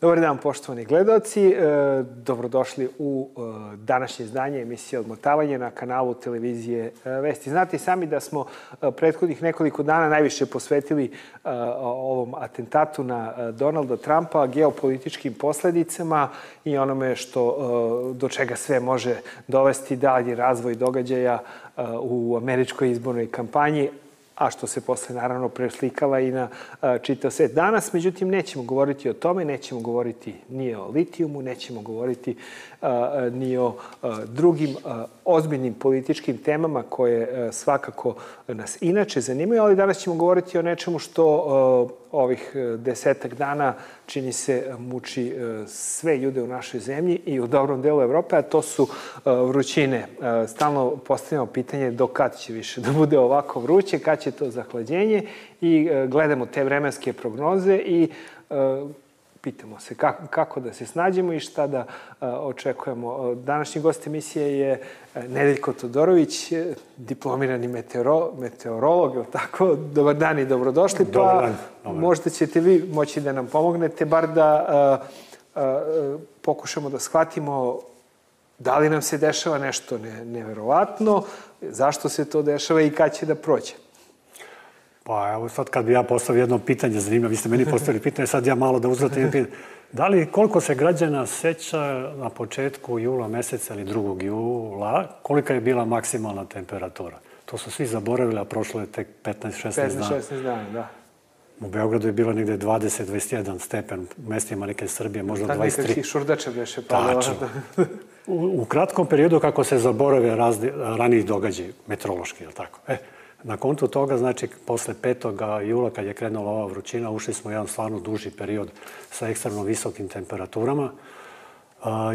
Dobar dan, poštovani gledaoci. Dobrodošli u današnje izdanje emisije Odmotavanje na kanalu televizije Vesti. Znate i sami da smo prethodnih nekoliko dana najviše posvetili ovom atentatu na Donalda Trumpa, geopolitičkim posledicama i onome do čega sve može dovesti dalji razvoj događaja u američkoj izbornoj kampanji, a što se posle naravno preslikava i na čitav svet. Danas, međutim, nećemo govoriti o tome, nećemo govoriti ni o litijumu, nećemo govoriti ni o drugim ozbiljnim političkim temama koje svakako nas inače zanimaju, ali danas ćemo govoriti o nečemu što ovih 10 dana čini se muči sve ljude u našoj zemlji i u dobrom delu Evrope, a to su vrućine. Stalno postavljamo pitanje do kad će više da bude ovako vruće, kad će to zahlađenje i gledamo te vremenske prognoze i pitamo se kako da se snađemo i šta da očekujemo. Današnji gost emisije je Nedeljko Todorović, diplomirani meteorolog, ili tako? Dobar dan i dobrodošli. Pa možda ćete vi moći da nam pomognete, bar da pokušamo da shvatimo da li nam se dešava nešto neverovatno, zašto se to dešava i kad će da prođe. Pa evo sad kad bi ja postavio jedno pitanje, zanimljivo, vi ste meni postavili pitanje, sad ja malo da uzvratim pitanje. Da li koliko se građana seća na početku jula meseca ili 2. jula, kolika je bila maksimalna temperatura? To su svi zaboravili, a prošlo je tek 15-16 dana. 15-16 dana, da. U Beogradu je bilo negde 20-21 stepen, u mestima neke Srbije možda 23. Tako nekakvih šurdača beše padala. U kratkom periodu kako se zaborave ranijih događaja, meteorološki, je li tako? Na kontu toga, znači, posle 5. jula, kad je krenula ova vrućina, ušli smo u jedan stvarno duži period sa ekstremno visokim temperaturama.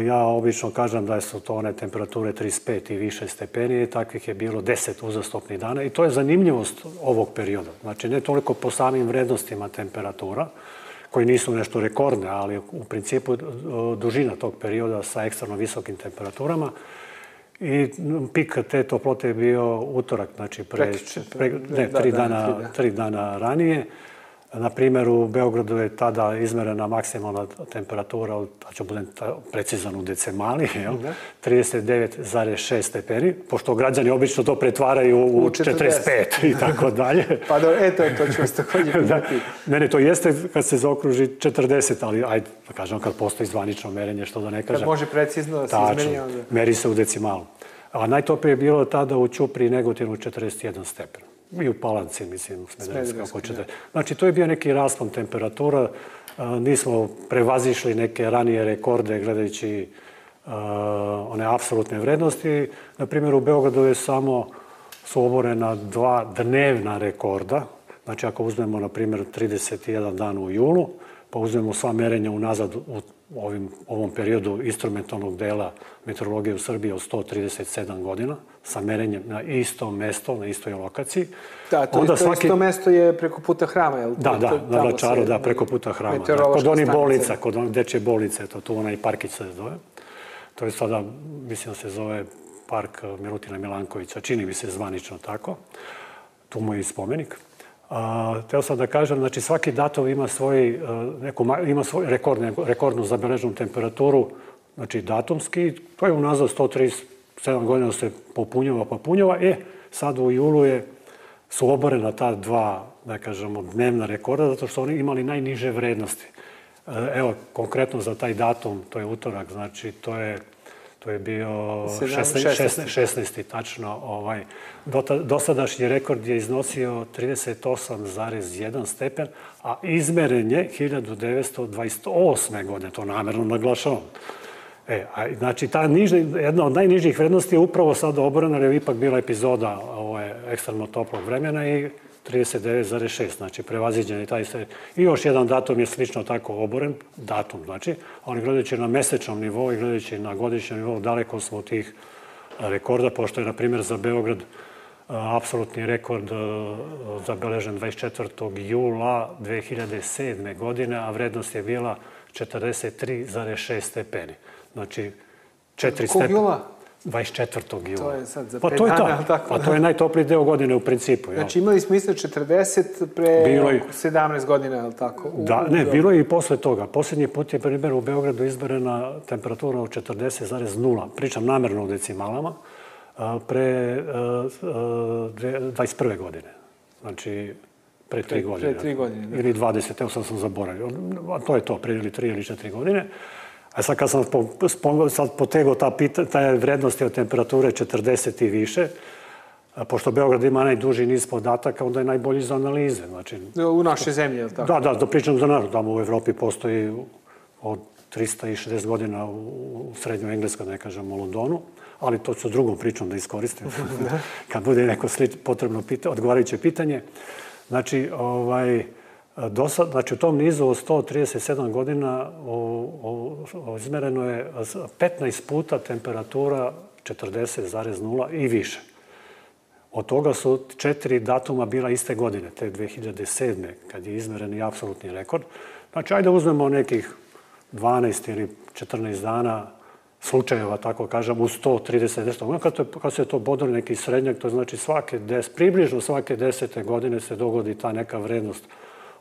Ja obično kažem da su to one temperature 35 i više stepeni, takvih je bilo 10 uzastopnih dana i to je zanimljivost ovog perioda. Znači, ne toliko po samim vrednostima temperatura, koji nisu nešto rekordne, ali u principu dužina tog perioda sa ekstremno visokim temperaturama. I pik te toplote je bio utorak, znači tri dana ranije. Na primjer, u Beogradu je tada izmerena maksimalna temperatura, da ću budem precizan u decimali, 39,6 stepeni, pošto građani obično to pretvaraju u 45 i tako dalje. Pa to ću vas također pitati. Ne, to jeste kad se zaokruži 40, ali ajde, da kažem, kad postoji zvanično merenje, što da ne kažem. Kad može precizno da se izmeri onda. Meri se u decimalu. A najtoplije je bilo tada u Ćupriji i Negotinu 41 stepen. I u Palanci, mislim, u Smederevskoj, ako hoćete. Znači, to je bio neki raspon temperatura. Nismo prevazišli neke ranije rekorde gledajući one apsolutne vrednosti. Na primjer, u Beogradu su oborena 2 dnevna rekorda. Znači, ako uzmemo, na primjer, 31 dan u julu, pa uzmemo sva merenja unazad u ovom periodu instrumentalnog dela meteorologije u Srbiji od 137 godina, sa merenjem na istom mesto, na istoj lokaciji. Da, to isto mesto je preko puta hrama, je li? Da, na Vračaru, da, preko puta hrama. Kod onih bolnica, kod onih dečje bolnice, tu onaj parkić se zove. To je sada, mislim da se zove park Milutina Milankovića, čini mi se zvanično tako. Tu mu je i spomenik. Teo sam da kažem, znači svaki datum ima svoju rekordnu zabeleženu temperaturu, znači datumski, to je unazad 137 godina se popunjava. Sad u julu su oborena ta 2, da kažemo, dnevna rekorda, zato što oni imali najniže vrednosti. Evo, konkretno za taj datum, to je utorak, znači to je bio 16. tačno. Dosadašnji rekord je iznosio 38,1 stepen, a izmeren je 1928. godine, to namerno naglašavam. Znači, jedna od najnižih vrednosti je upravo sada oborena, jer je ipak bila epizoda ekstremno toplog vremena i 39,6, znači prevaziđen je taj sve. I još jedan datum je slično tako oboren, datum znači, ali gledajući na mesečnom nivou i gledajući na godišnjem nivou, daleko smo od tih rekorda, pošto je, na primjer, za Beograd apsolutni rekord zabeležen 24. jula 2007. godine, a vrednost je bila 43,6 stepeni. Znači, 4 stepeni. Kog jula? 24. jula. To je sad za 5 dana. Pa to je najtopliji deo godine u principu. Znači imali smo isto 40 pre 17 godina, je li tako? Da, ne, bilo je i posle toga. Posljednji put je, primjer, u Beogradu izmerena temperatura od 40,0, pričam namerno u decimalama, pre 21. godine. Znači, pre 3 godine. Pre 3 godine, da. Ili 20, evo sad sam zaboravio. To je to, pre ili 3 ili 4 godine. A sad kad sam potegao taj vrednosti od temperature 40 i više, pošto Beograd ima najduži niz podataka, onda je najbolji za analize. Znači, u našoj zemlji, je li tako? Da pričam za narod. Tamo u Evropi postoji od 360 godina u srednjoj Engleskoj, ne kažem u Londonu, ali to ću drugom pričom da iskoristim. Kad bude neko potrebno odgovarajuće pitanje. Znači, u tom nizu od 137 godina izmereno je 15 puta temperatura 40,0 i više. Od toga su 4 datuma bila iste godine, te 2007. kad je izmeren i apsolutni rekord. Znači, ajde uzmemo nekih 12 ili 14 dana slučajeva, tako kažem, u 130 nešto. Kad se to bodali neki srednjak, to znači približno svake 10. godine se dogodi ta neka vrednost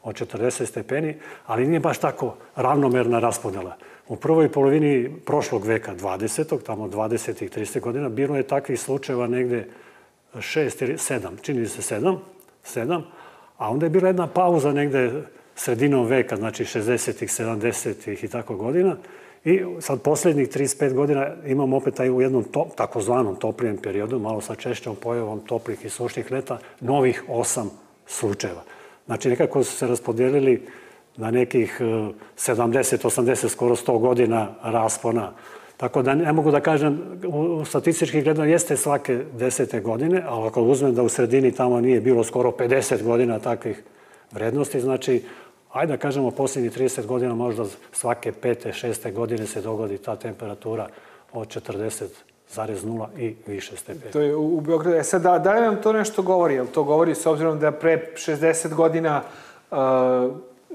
od 40 stepeni, ali nije baš tako ravnomerna raspodela. U prvoj polovini prošlog veka, 20. tamo 20. i 30. godina, bilo je takvih slučajeva negde 6 ili 7, čini se 7, a onda je bila jedna pauza negde sredinom veka, znači 60-ih, 70-ih i tako godina. I sad posljednjih 35 godina imamo opet u jednom takozvanom toplijem periodu, malo sa češćom pojavom toplih i sušnih leta, novih 8 slučajeva. Znači, nekako su se raspodijelili na nekih 70, 80, skoro 100 godina raspona. Tako da ne mogu da kažem, statistički gledano jeste svake 10. godine, ali ako uzmem da u sredini tamo nije bilo skoro 50 godina takvih vrednosti, znači, ajde da kažemo, posljednjih 30 godina možda svake 5. 6. godine se dogodi ta temperatura od 40,0 i više stepeni. To je u Beogradu. Sad, da li nam to nešto govori? Jel to govori s obzirom da pre 60 godina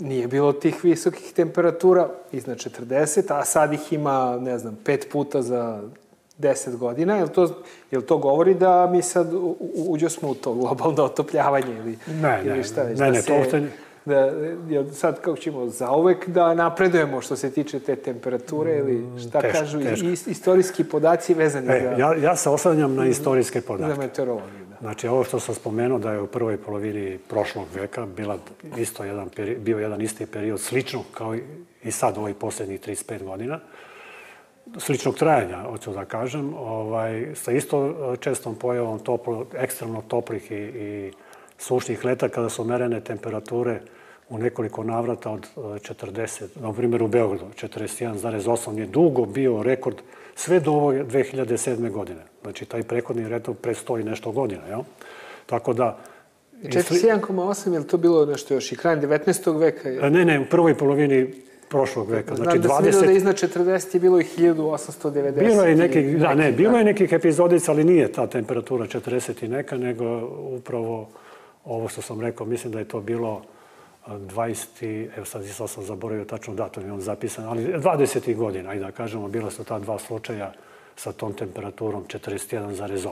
nije bilo tih visokih temperatura iznad 40, a sad ih ima, ne znam, 5 puta za 10 godina. Jel to govori da mi sad uđosmo u to globalno otopljavanje ili šta već? Ne, to uopšte... Sad kako ćemo zauvek da napredujemo što se tiče te temperature ili šta kažu istorijski podaci vezani za... Ja se oslanjam na istorijske podatke. Za meteorologiju, da. Znači, ovo što sam spomenuo da je u prvoj polovini prošlog veka bio jedan isti period, slično kao i sad ovih posljednjih 35 godina, sličnog trajanja, hoću da kažem, sa isto čestom pojavom ekstremno toplih i sušnih leta kada su merene temperature u nekoliko navrata od 40, na primjer u Beogradu, 41,8 je dugo bio rekord sve do ove 2007. godine. Znači, taj prethodni rekord prestoji nešto godina, jel? Tako da... 41,8, je li to bilo nešto još i krajem 19. veka? Ne, u prvoj polovini prošlog veka. Znam da sam vidio da iznad 40 je bilo i 1890. Bilo je nekih epizodica, ali nije ta temperatura 40 i neka, nego upravo ovo što sam rekao, mislim da je to bilo 20, evo sad sam zaboravio tačno datum, imam zapisan, ali 20. godina, ajde da kažemo, bila su ta 2 slučaja sa tom temperaturom 41,8.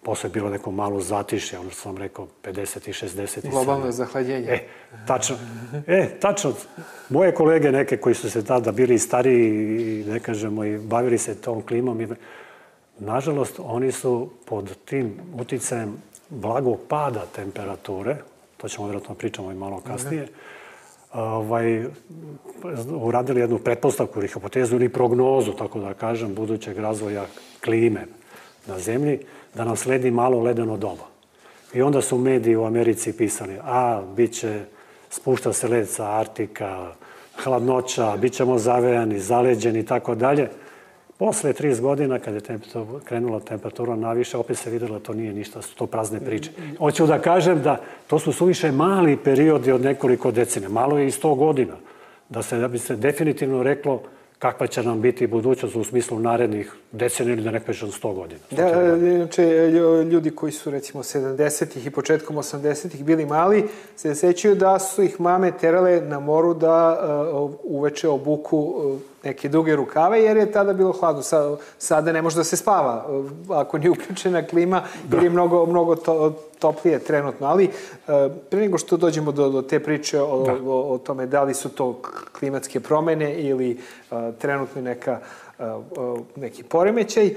Posle je bilo neko malo zatišje, ono što sam rekao, 50 i 60. Globalno zahlađenje. Tačno. Moje kolege neke koji su se tada bili stariji, ne kažemo, i bavili se tom klimom, nažalost, oni su pod tim uticajem blagog pada temperature, to ćemo vjerojatno pričamo i malo kasnije, uradili jednu pretpostavku ili hipotezu ili prognozu, tako da kažem, budućeg razvoja klime na zemlji, da nam sledi malo ledeno doba. I onda su mediji u Americi pisali, spušta se led sa Artika, hladnoća, bit ćemo zavejani, zaleđeni i tako dalje. Posle 30 godina, kad je krenula temperatura naviše, opet se vidjelo da to nije ništa, su to prazne priče. Hoću da kažem da to su suviše mali periodi od nekoliko decenija, malo je i 100 godina, da bi se definitivno reklo kakva će nam biti budućnost u smislu narednih decenija ili da ne kažem 100 godina. Da, inače, ljudi koji su recimo 70-ih i početkom 80-ih bili mali, se sećaju da su ih mame terale na moru da uveče obuku neke duge rukave, jer je tada bilo hladno. Sada ne može da se spava ako nije uključena klima, jer je mnogo toplije trenutno. Ali pre nego što dođemo do te priče o tome da li su to klimatske promene ili trenutno neki poremećaj,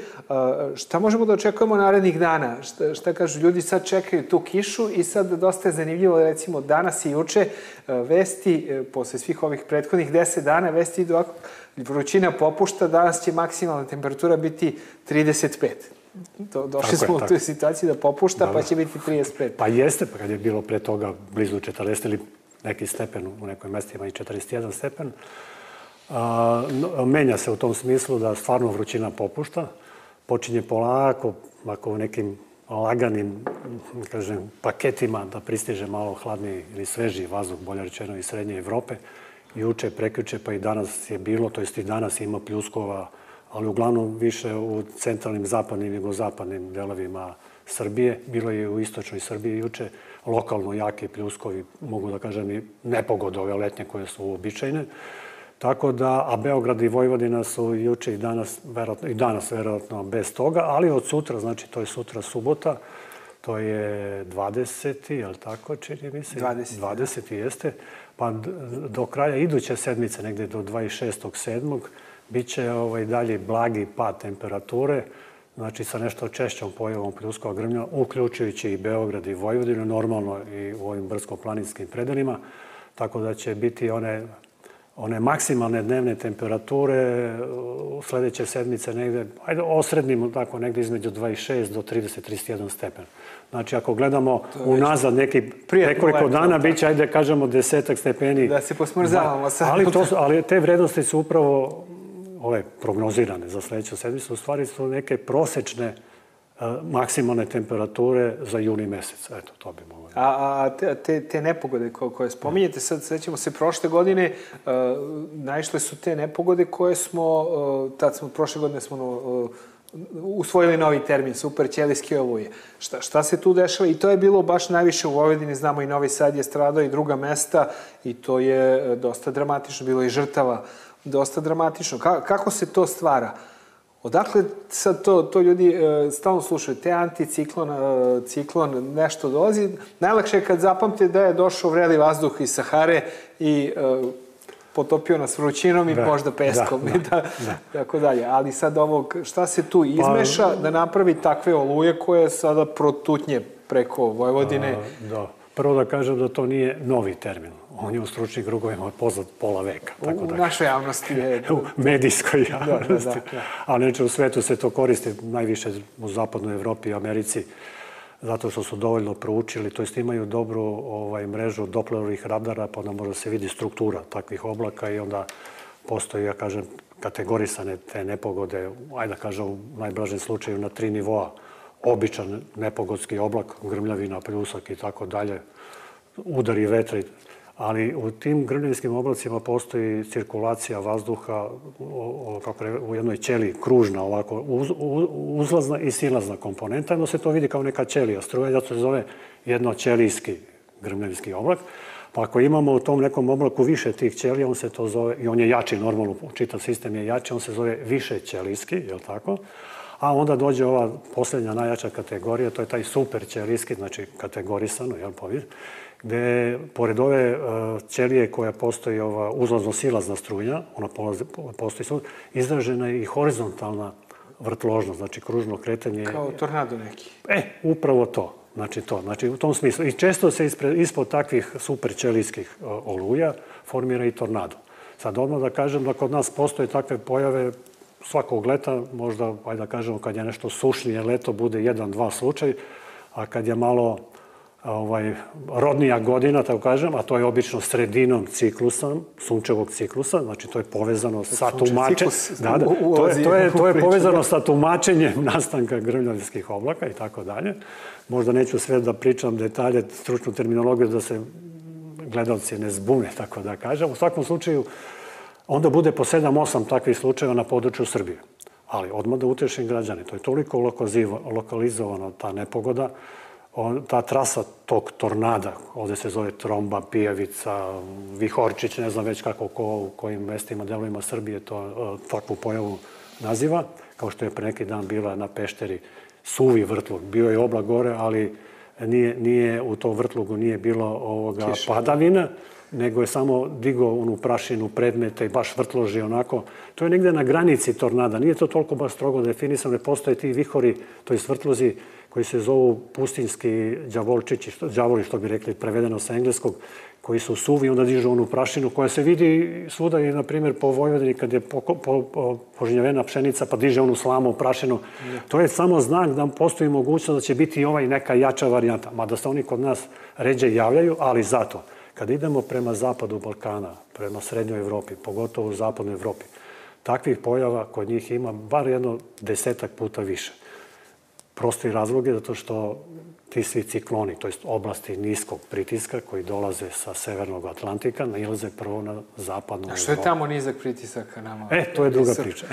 šta možemo da očekujemo narednih dana? Šta kažu, ljudi sad čekaju tu kišu i sad dosta je zanimljivo, recimo danas i juče vesti, posle svih ovih prethodnih 10 dana, vesti idu ovako, vrućina popušta, danas će maksimalna temperatura biti 35. Došli smo u tu situaciju da popušta, pa će biti 35. Pa jeste, pa kad je bilo pre toga blizu 40 ili neki stepen, u nekoj mestima i 41 stepen, menja se u tom smislu da stvarno vrućina popušta, počinje polako, ako u nekim laganim, kažem, paketima da pristiže malo hladniji ili svežiji vazduh, bolje rečeno iz srednje Evrope. Juče, prekjuče, pa i danas je bilo, to jest i danas ima pljuskova, ali uglavnom više u centralnim, zapadnim i jugozapadnim delovima Srbije. Bilo je u istočnoj Srbiji juče lokalno jake pljuskovi, mogu da kažem i nepogode ove letnje koje su uobičajene. Tako da, a Beograd i Vojvodina su juče i danas verovatno bez toga, ali od sutra, znači to je sutra subota, to je 20. je li tako, čini mi se? 20. jeste. Pa do kraja iduće sedmice, negde do 26.7. bit će dalje blagi pad temperature, znači sa nešto češćom pojavom pljuskova grmlja, uključujući i Beograd i Vojvodinu, normalno i u ovim brdsko-planinskim predelima, tako da će biti one maksimalne dnevne temperature u sledeće sedmice negde, ajde osrednimo tako, negde između 26 do 30-31 stepen. Znači, ako gledamo unazad neki nekoliko dana, bit će, ajde kažemo, 10 stepeni. Da se posmrzavamo sad. Ali te vrednosti su upravo ove prognozirane za sledeću sedmicu, u stvari su neke prosečne maksimalne temperature za juni mesec. Eto, to bi moglo. A te nepogode koje spominjete, sad sećamo se prošle godine, naišle su te nepogode koje prošle godine smo usvojili novi termin, super ćelijske oluje. Šta se tu dešava? I to je bilo baš najviše u Vojvodini, znamo i Novi Sad je stradao i druga mesta i to je dosta dramatično, bilo i žrtava dosta dramatično. Kako se to stvara? Odakle sad to ljudi stalno slušaju? Te ciklon nešto dolazi. Najlakše je kad zapamte da je došao vreli vazduh iz Sahare i potopio nas vrućinom i možda peskom i tako dalje. Ali sad šta se tu izmeša da napravi takve oluje koje sada protutnje preko Vojvodine? Da. Prvo da kažem da to nije novi termin. On je u stručnim krugovima poznat pola veka. U našoj javnosti je... U medijskoj javnosti. Ali neče u svetu se to koristi najviše u zapadnoj Evropi i Americi zato što su dovoljno proučili, to jest imaju dobru mrežu Dopplerovih radara, pa onda može se vidi struktura takvih oblaka i onda postoji, ja kažem, kategorisane te nepogode, ajde da kažem u najblažem slučaju na 3 nivoa. Običan nepogodski oblak, grmljavina, pljusak i tako dalje, udari vetra, ali u tim grmljavinskim oblacima postoji cirkulacija vazduha u jednoj ćeliji, kružna ovako, uzlazna i silazna komponenta. Jedno se to vidi kao neka ćelija struja, zato se zove jednoćelijski grmljavinski oblak. Pa ako imamo u tom nekom oblaku više tih ćelija, on se to zove, i on je jači, normalno, čitav sistem je jači, on se zove više ćelijski, je li tako? A onda dođe ova posljednja najjača kategorija, to je taj superćelijski, znači kategorisano, jel, gde pored ove ćelije koja postoji ova uzlazno-silazna struja, ona postoji, izražena je i horizontalna vrtložnost, znači kružno kretanje. Kao tornado neki. Upravo to. Znači u tom smislu. I često se ispod takvih superćelijskih oluja formira i tornado. Sad odmah da kažem da kod nas postoje takve pojave svakog leta, možda, ajde da kažemo, kad je nešto sušnije leto, bude 1-2 slučaj, a kad je malo rodnija godina, tako kažem, a to je obično sredinom ciklusa, sunčevog ciklusa, znači to je povezano sa tumačenjem. To je povezano sa tumačenjem nastanka grmljavinskih oblaka i tako dalje. Možda neću sve da pričam detalje, stručnu terminologiju, da se gledalci ne zbune, tako da kažem. U svakom slučaju, onda bude po 7-8 takvih slučajeva na području Srbije. Ali odmah da utešim građane, to je toliko lokalizovana ta nepogoda, ta trasa tog tornada, ovde se zove Tromba, Pijavica, Vihorčić, ne znam već kako ko u kojim mestima, delovima Srbije to takvu pojavu naziva, kao što je pre neki dan bila na Pešteri suvi vrtlog. Bio je oblak gore, ali nije u tom vrtlogu nije bilo padavina, nego je samo digao onu prašinu predmeta i baš vrtloži onako. To je negde na granici tornada. Nije to toliko baš strogo definisano, ne postoje ti vihori, to je vrtlozi koji se zovu pustinski đavolčići, đavoli što bi rekli prevedeno sa engleskog, koji su suvi i onda dižu onu prašinu koja se vidi svuda i, na primjer, po Vojvodini kad je požnjevena pšenica pa diže onu slamu prašinu. To je samo znak da postoji mogućnost da će biti i neka jača varijanta. Mada se oni kod nas ređe javljaju, ali zato kad idemo prema zapadu Balkana, prema srednjoj Evropi, pogotovo u zapadnoj Evropi, takvih pojava kod njih ima bar jedno 10 puta više. Prosti razlog je zato što ti svi cikloni, to jest oblasti niskog pritiska koji dolaze sa severnog Atlantika, nailaze prvo na zapadnu Evropu. A što je tamo nizak pritisak ka nama? To je druga priča.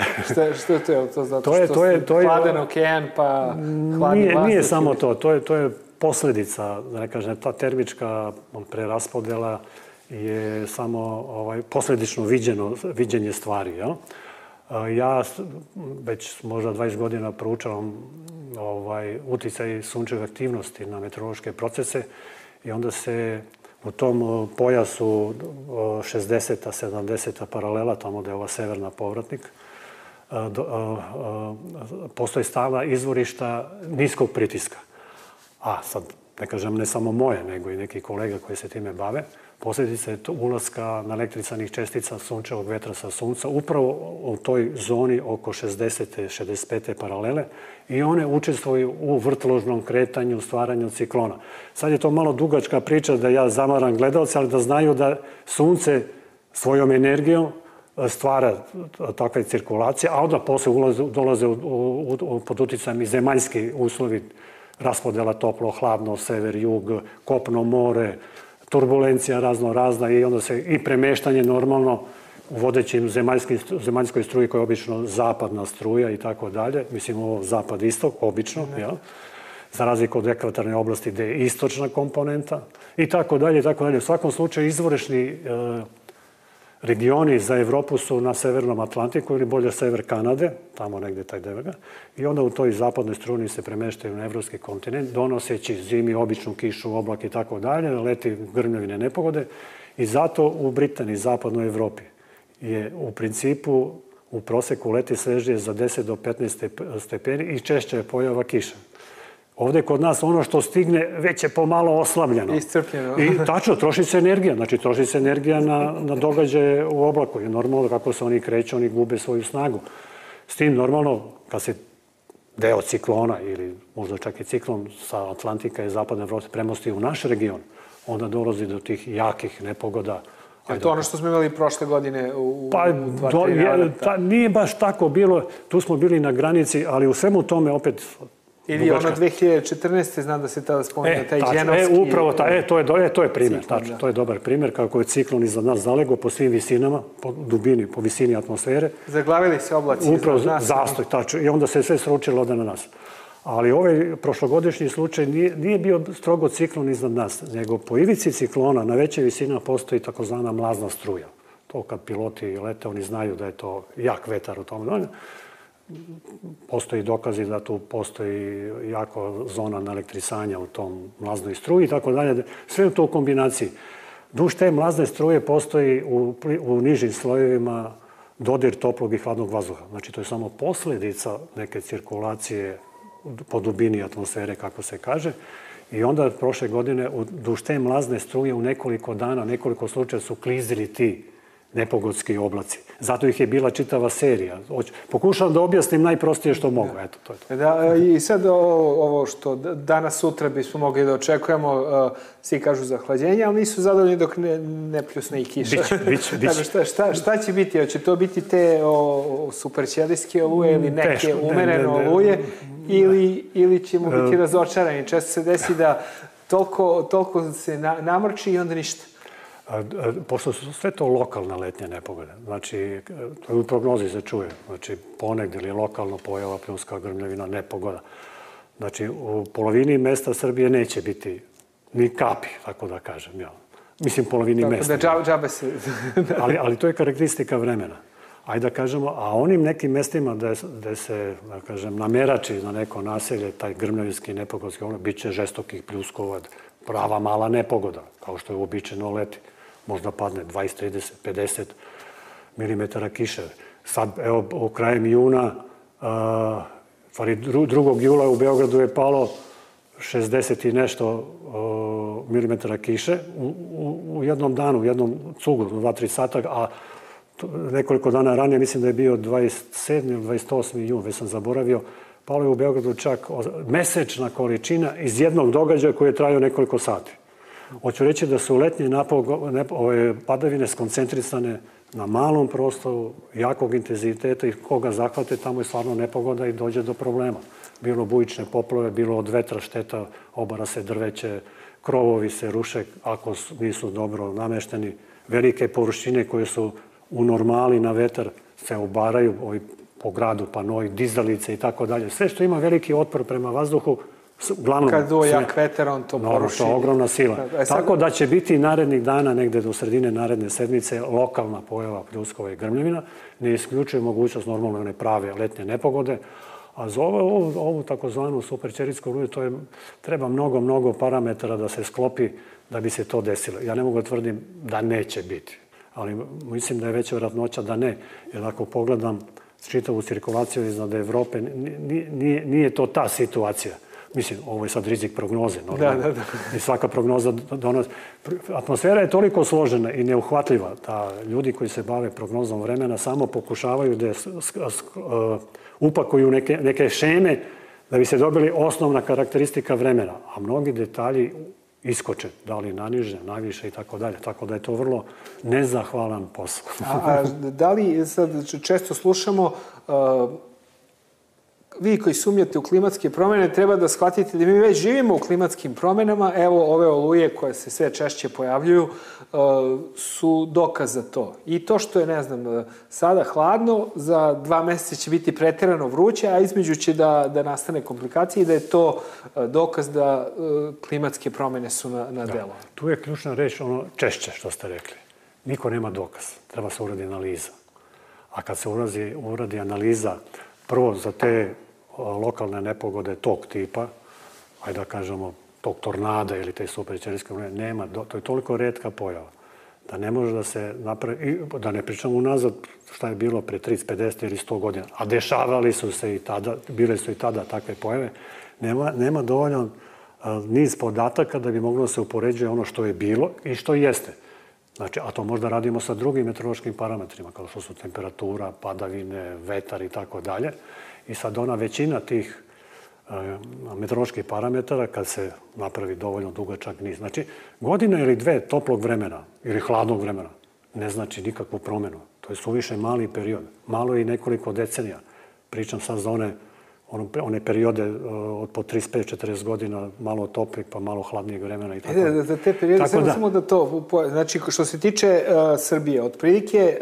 Što je to? To zato što je hladan okean pa hladni vazduh? Nije samo to. To je posledica, da ne kažem, ta termička preraspodela je samo posledično viđenje stvari. Ja već možda 20 godina proučavam uticaj sunčeve aktivnosti na meteorološke procese i onda se u tom pojasu 60. 70. paralela, tamo gde je ova severna povratnik, postoje stalna izvorišta niskog pritiska. A sad, ne kažem ne samo moje, nego i neki kolega koji se time bave, posljedica je ulaska naelektrisanih čestica sunčevog vetra sa sunca upravo u toj zoni oko 60. 65. paralele i one učestvuju u vrtložnom kretanju, stvaranju ciklona. Sad je to malo dugačka priča da ja zamaram gledalce, ali da znaju da sunce svojom energijom stvara takve cirkulacije, a onda posle dolaze pod uticajem i zemaljski uslovi, raspodela toplo, hladno, sever, jug, kopno, more, turbulencija razna i onda se i premeštanje normalno u vodećim zemaljskoj struji koja je obično zapadna struja i tako dalje. Mislim, ovo zapad-istok, obično, za razliku od ekvatorne oblasti gde je istočna komponenta i tako dalje, i tako dalje. U svakom slučaju izvorišni regioni za Evropu su na severnom Atlantiku ili bolje sever Kanade, tamo negde taj deo. I onda u toj zapadnoj struni se premeštaju na evropski kontinent, donoseći zimi običnu kišu, oblak i tako dalje, leti grmljavine nepogode. I zato u Britaniji, zapadnoj Evropi, je u principu u proseku leti svežije za 10 do 15 stepeni i češća je pojava kiša. Ovde kod nas ono što stigne već je pomalo oslabljeno. Iscrpljeno. I tačno, troši se energija. Znači, troši se energija na događaje u oblaku. I normalno, kako se oni kreću, oni gube svoju snagu. S tim, normalno, kad se deo ciklona ili možda čak i ciklon sa Atlantika i zapadne Evrope premosti u naš region, onda dolazi do tih jakih nepogoda. Je to ono što smo imali prošle godine u 2-3 rada? Nije baš tako bilo. Tu smo bili na granici, ali u svemu tome opet... Ili ono 2014. znam da se tada spomenuo taj dženovski... Upravo, to je primjer, tačno. To je dobar primjer, kako je ciklon iznad nas zalego po svim visinama, po dubini, po visini atmosfere. Zaglavili se oblaci iznad nas. Zastoj, tačno. I onda se sve sručilo ovde na nas. Ali ovaj prošlogodišnji slučaj nije bio strogo ciklon iznad nas, nego po ivici ciklona na veće visina postoji takozvana mlazna struja. To kad piloti lete, oni znaju da je to jak vetar u tom. Postoji dokazi da tu postoji jako zona naelektrisanja u tom mlaznoj struji i tako dalje. Sve je to u kombinaciji. Duž te mlazne struje postoji u nižim slojevima dodir toplog i hladnog vazduha. Znači, to je samo posledica neke cirkulacije po dubini atmosfere, kako se kaže. I onda prošle godine duž te mlazne struje u nekoliko dana, nekoliko slučaja su klizili ti nepogodski oblaci. Zato ih je bila čitava serija. Pokušavam da objasnim najprostije što mogu. Eto, to je to. I sad ovo što danas, sutra bismo mogli da očekujemo, svi kažu zahlađenje, ali nisu zadovoljni dok ne pljusne i kiša. Biće. Šta će biti? Hoće to biti te superćelijske oluje ili neke umerene oluje ili ćemo biti razočarani? Često se desi da toliko se namrči i onda ništa. Pošto su sve to lokalna letnja nepogode, znači, to je u prognozi se čuje, znači, ponegde ili lokalno pojava pljunska grmljavina nepogoda. Znači, u polovini mesta Srbije neće biti ni kapi, tako da kažem. Ja. Mislim, polovini mesta. Tako da džabe se... ali to je karakteristika vremena. Ajde da kažemo, a onim nekim mestima gde se, da kažem, namerači na neko naselje, taj grmljavinski nepogodski, bit će žestokih pljuskova, prava mala nepogoda, kao što je uobičajeno leti. Možda padne 20, 30, 50 milimetara kiše. Sad, evo, u krajem juna, 2. jula u Beogradu je palo 60 i nešto milimetara kiše u jednom danu, u jednom cugu, 2-3 sata, a nekoliko dana ranije, mislim da je bio 27. ili 28. jun, već sam zaboravio, palo je u Beogradu čak mesečna količina iz jednog događaja koji je trajao nekoliko sati. Hoću reći da su letnje padavine skoncentrisane na malom prostoru, jakog intenziteta i koga zahvate, tamo je stvarno nepogoda i dođe do problema. Bilo bujične poplove, bilo od vetra šteta, obara se drveće, krovovi se ruše ako nisu dobro namešteni. Velike površine koje su u normali na vetar se obaraju po gradu, panoi, dizalice i tako dalje. Sve što ima veliki otpor prema vazduhu, uglavnom... Kad duo jak vetar, on to poruši. To je ogromna sila. Tako da će biti narednih dana, negde do sredine naredne sedmice, lokalna pojava pljuskova i grmljavina. Ne isključuje mogućnost normalno one prave letnje nepogode. A za ovu takozvanu superćerijsku oluju treba mnogo parametara da se sklopi da bi se to desilo. Ja ne mogu da tvrdim da neće biti, ali mislim da je veća vjerojatnoća da ne. Jer ako pogledam čitavu cirkulaciju iznad Evrope, nije to ta situacija. Mislim, ovo je sad rizik prognoze. Da. I svaka prognoza donosi. Atmosfera je toliko složena i neuhvatljiva da ljudi koji se bave prognozom vremena samo pokušavaju da upakuju neke šeme da bi se dobili osnovna karakteristika vremena. A mnogi detalji iskoče, da li naniže, naviše i tako dalje. Tako da je to vrlo nezahvalan posao. A da li, sad često slušamo, vi koji sumnjate u klimatske promjene, treba da shvatite da mi već živimo u klimatskim promjenama. Evo, ove oluje koje se sve češće pojavljuju su dokaz za to. I to što je, ne znam, sada hladno, za 2 meseca će biti preterano vruće, a između će da nastane komplikacije i da je to dokaz da klimatske promjene su na delu. Tu je ključna reč, ono češće što ste rekli. Niko nema dokaz. Treba se uradi analiza. A kad se uradi analiza, prvo za te lokalne nepogode tog tipa, ajde da kažemo tog tornada ili te superćerijske oluje, nema. To je toliko retka pojava da ne može da se napravi, da ne pričamo unazad šta je bilo pre 30, 50 ili 100 godina, a dešavali su se i tada, bile su i tada takve pojave, nema dovoljno niz podataka da bi moglo da se upoređuje ono što je bilo i što jeste. Znači, a to možda radimo sa drugim meteorološkim parametrima, kao što su temperatura, padavine, vetar i tako dalje. I sad ona većina tih meteoroloških parametara, kad se napravi dovoljno dugačak niz. Znači, godina ili 2 toplog vremena ili hladnog vremena ne znači nikakvu promjenu. To je suviše mali period. Malo je i nekoliko decenija. Pričam sad za one periode od po 35-40 godina, malo toplih, pa malo hladnijeg vremena i tako. Za te periode, samo da to... Znači, što se tiče Srbije, otprilike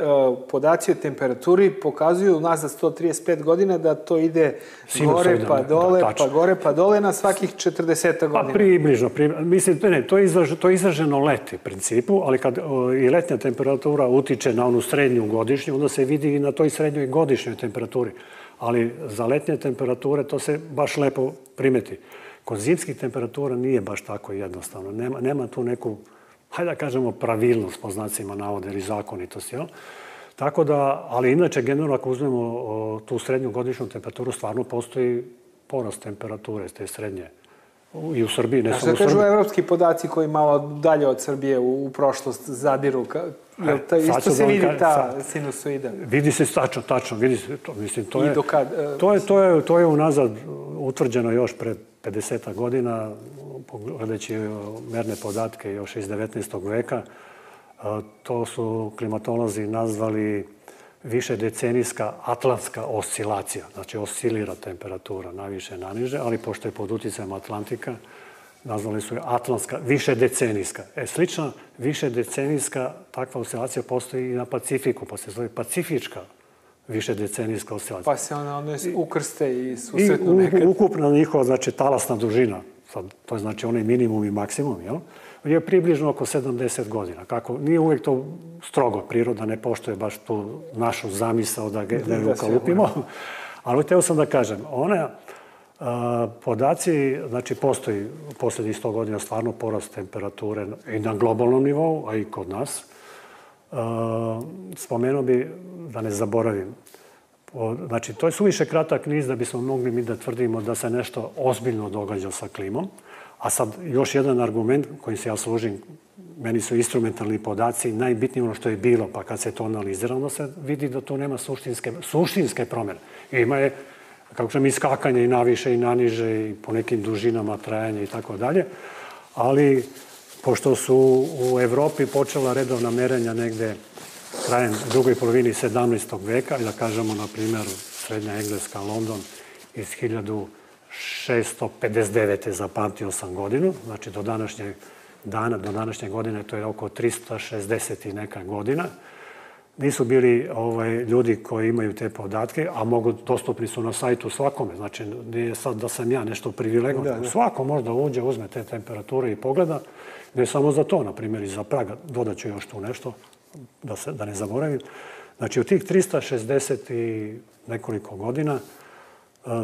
podaci o temperaturi pokazuju nazad 135 godina da to ide gore pa dole, pa gore pa dole na svakih 40 godina. Pa približno. Mislim, to je izraženo leti principu, ali kad i letnja temperatura utiče na onu srednju godišnju, onda se vidi i na toj srednjoj godišnjoj temperaturi. Ali za letnje temperature to se baš lepo primeti. Kod zimskih temperatura nije baš tako jednostavno. Nema tu neku, hajde da kažemo, pravilnost po znacima navoda ili zakonitost. Tako da, ali inače, generalno, ako uzmemo tu srednju godišnju temperaturu, stvarno postoji porast temperature te srednje. I u Srbiji, ne samo u Srbiji. A što kažu evropski podaci koji malo dalje od Srbije u prošlost zadiru? Isto se vidi ta sinusoida? Vidi se tačno, vidi se to. Mislim, to je unazad utvrđeno još pre 50 godina, gledajući merne podatke još iz 19. veka. To su klimatolozi nazvali višedecenijska atlantska oscilacija. Znači, oscilira temperatura naviše, naniže, ali pošto je pod uticajem Atlantika, nazvali su je atlantska, višedecenijska. Slična višedecenijska takva oscilacija postoji i na Pacifiku, pa se zove pacifička više decenijska oscilacija. Pa se one ukrste i susretnu nekad. I ukupna njihova, znači, talasna dužina, to je znači onaj minimum i maksimum, jel? Je približno oko 70 godina. Kako, nije uvijek to strogo, priroda ne poštuje baš tu našu zamisao da je ukalupimo. Ali hteo sam da kažem, one podaci, znači postoji posljednjih 100 godina stvarno porast temperature i na globalnom nivou, a i kod nas. Spomenuo bi, da ne zaboravim, znači to je suviše kratak niz da bismo mogli mi da tvrdimo da se nešto ozbiljno događa sa klimom. A sad još jedan argument kojim se ja služim, meni su instrumentalni podaci najbitnije ono što je bilo, pa kad se to analizira, onda se vidi da tu nema suštinske promjene. Ima je, kako kažem, iskakanje i naviše i naniže i po nekim dužinama trajanja i tako dalje, ali pošto su u Evropi počela redovna merenja negde krajem drugoj polovini 17. veka, da kažemo, na primjer, Srednja Engleska, London iz 1659. zapamtio sam godinu, znači do današnjeg dana, do današnje godine, to je oko 360 i neka godina. Nisu bili ljudi koji imaju te podatke, a dostupni su na sajtu svakome. Znači, nije sad da sam ja nešto privilegovan. Svako možda uđe, uzme te temperature i pogleda. Ne samo za to, na primjer, i za Praga. Dodat ću još tu nešto, da ne zaboravim. Znači, u tih 360 i nekoliko godina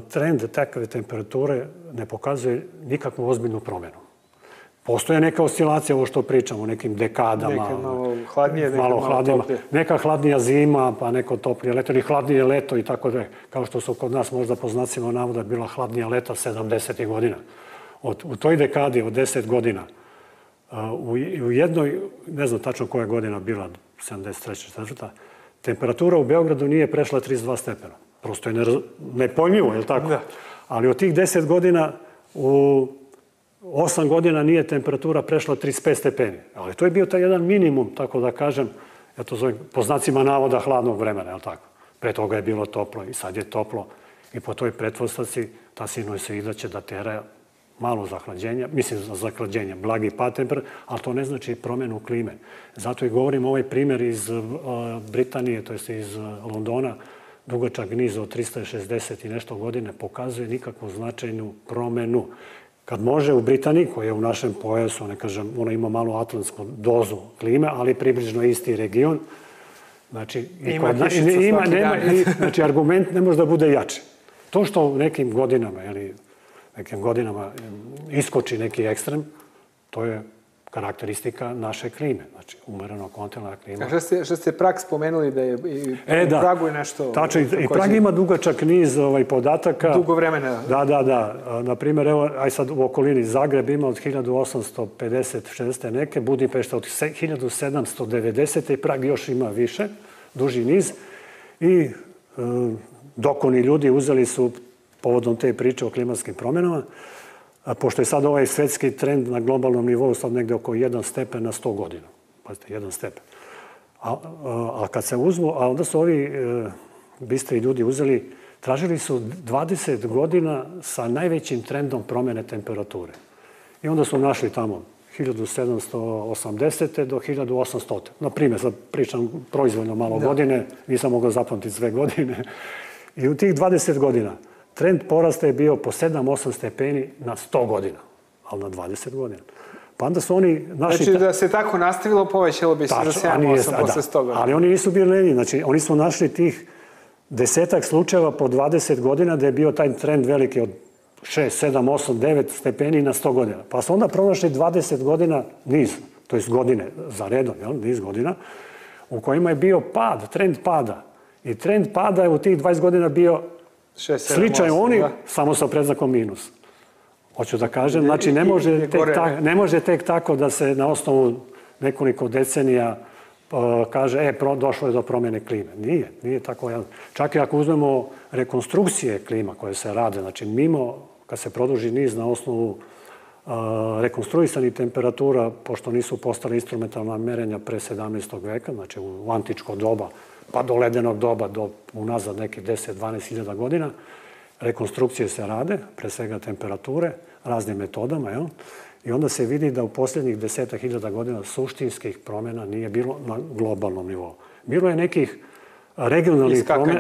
trend takve temperature ne pokazuje nikakvu ozbiljnu promjenu. Postoje neka oscilacija, ovo što pričamo, nekim dekadama. Neka malo hladnije, neka malo malo toplije. Neka hladnija zima, pa neko toplije leto, ili hladnije leto i tako da. Kao što su kod nas možda po znacima navoda bila hladnija leta 70. godina. U toj dekadi od 10 godina, u jednoj, ne znam tačno koja godina bila, 73. 4. temperatura u Beogradu nije prešla 32 stepena. Prosto je nepojmljivo, je li tako? Da. Ali od tih 10 godina u 8 godina nije temperatura prešla 35 stepeni. Ali to je bio taj jedan minimum, tako da kažem, ja to zovem po znacima navoda hladnog vremena, je li tako? Pre toga je bilo toplo i sad je toplo. I po toj pretpostavci ta sinusoida će da tera malo zahlađenja, mislim za zahlađenje, blagi pad temperature, ali to ne znači promjenu klime. Zato i govorim ovaj primjer iz Britanije, to jest iz Londona, dugačak niz od 360 i nešto godine, pokazuje nikakvu značajnu promjenu. Kad može u Britaniji, koja je u našem pojasu, ne kažem, ona ima malo atlantsku dozu klime, ali približno isti region. Znači, znači argument ne može da bude jači. To što u nekim godinama iskoči neki ekstrem, to je karakteristika naše klime. Znači, umereno kontinentalna klima. A što ste Prag spomenuli da je i u Pragu je nešto... Tačno, i Prag ima dugačak niz podataka. Dugo vremena. Da. Naprimjer, evo, aj sad u okolini Zagreb ima od 1850-60 neke, Budimpešta od 1790 i Prag još ima više, duži niz. I dokoni ljudi uzeli su povodom te priče o klimatskim promjenama, pošto je sad ovaj svetski trend na globalnom nivou sad negde oko 1 stepen na 100 godina. Pazite, 1 stepen. A kad se uzmu, a onda su ovi bistri ljudi uzeli, tražili su 20 godina sa najvećim trendom promjene temperature. I onda su našli tamo 1780. do 1800. Na primjer, sad pričam proizvoljno malo godine, nisam mogao zapamtiti sve godine. I u tih 20 godina trend porasta je bio po 7-8 stepeni na 100 godina, ali na 20 godina. Pa onda su oni našli... Znači da se tako nastavilo, povećalo bi se za 7-8 posle 100 godina. Ali oni nisu bili lenji. Znači, oni su našli tih 10 slučajeva po 20 godina da je bio taj trend veliki od 6, 7, 8, 9 stepeni na 100 godina. Pa su onda pronašli 20 godina niz, to je godine za redom, niz godina, u kojima je bio pad, trend pada. I trend pada je u tih 20 godina bio sličan oni, samo sa predznakom minus. Hoću da kažem, znači ne može tek tako da se na osnovu nekoliko decenija kaže, došlo je do promjene klime. Nije tako. Čak i ako uzmemo rekonstrukcije klima koje se rade, znači mimo, kad se produži niz na osnovu rekonstruisanih temperatura, pošto nisu postale instrumentalna merenja pre 17. veka, znači u antičko doba, pa do ledenog doba, do unazad nekih 10-12 hiljada godina, rekonstrukcije se rade, pre svega temperature, raznim metodama, i onda se vidi da u posljednjih 10.000 godina suštinskih promjena nije bilo na globalnom nivou. Bilo je nekih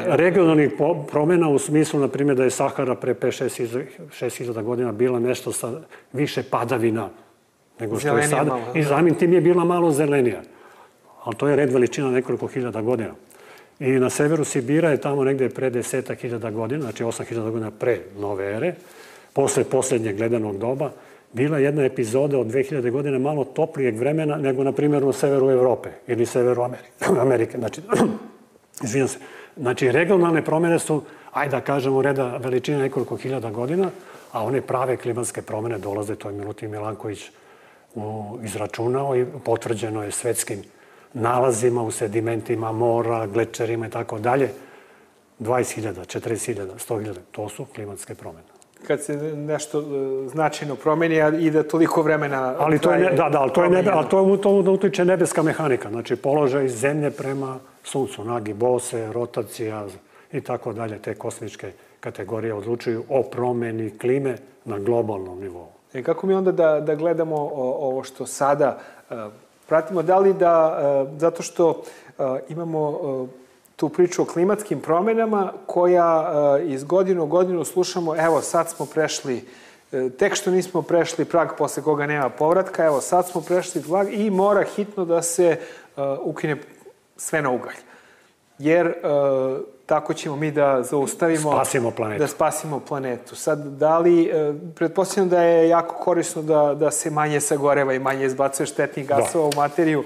regionalnih promjena u smislu, na primjer, da je Sahara pre 5-6 godina bila nešto sa više padavina nego što je sada. I samim tim je bila malo zelenija. Ali to je red veličina nekoliko hiljada godina. I na severu Sibira je tamo negde pre 10.000 godina, znači 8.000 godina pre nove ere, posle posljednjeg ledenog doba, bila jedna epizoda od 2000 godina malo toplijeg vremena nego, na primjer, u severu Evrope ili severu Amerike. Znači, izvinjam se. Znači, regionalne promjene su, ajde da kažemo, reda veličine nekoliko hiljada godina, a one prave klimatske promjene dolaze, to je Milutin Milanković izračunao i potvrđeno je svetskim nalazima u sedimentima mora, glečerima i tako dalje. 20.000, 40.000, 100.000, to su klimatske promjene. Kad se nešto značajno promeni i da toliko vremena... Ali to utiče nebeska mehanika. Znači, položaj zemlje prema suncu, nagi bose, rotacija i tako dalje. Te kosmičke kategorije odlučuju o promeni klime na globalnom nivou. Kako mi onda da gledamo ovo što sada pratimo? Da li zato što imamo tu priču o klimatskim promjenama koja iz godine u godinu slušamo, evo sad smo prešli, tek što nismo prešli prag posle koga nema povratka, evo sad smo prešli prag i mora hitno da se ukine sve na ugalj. Jer tako ćemo mi da zaustavimo... Da spasimo planetu. Sad, da li, pretpostavljam da je jako korisno da se manje sagoreva i manje izbacuje štetnih gasova u materiju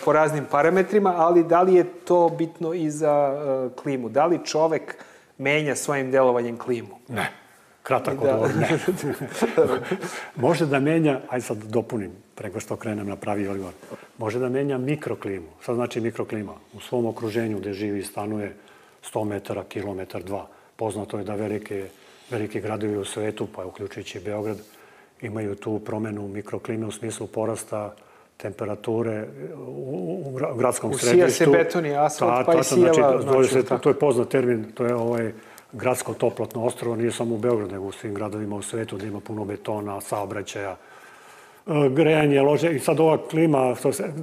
po raznim parametrima, ali da li je to bitno i za klimu? Da li čovek menja svojim delovanjem klimu? Ne. Kratak odgovor, ne. Može da menja, ajde sad dopunim, preko što krenem na pravi odgovor, može da menja mikroklimu. Šta znači mikroklima? U svom okruženju gde živi i stanuje 100 metara, kilometar, 2. Poznato je da veliki gradovi u svetu, pa uključujući Beograd, imaju tu promenu mikroklime u smislu porasta temperature u gradskom središtu. Usija se beton i asfalt, pa i sijeva. To je poznat termin, to je gradsko toplotno ostrvo, nije samo u Beogradu, nego u svim gradovima u svetu gde ima puno betona, saobraćaja, grejanje, lože. I sad ova klima,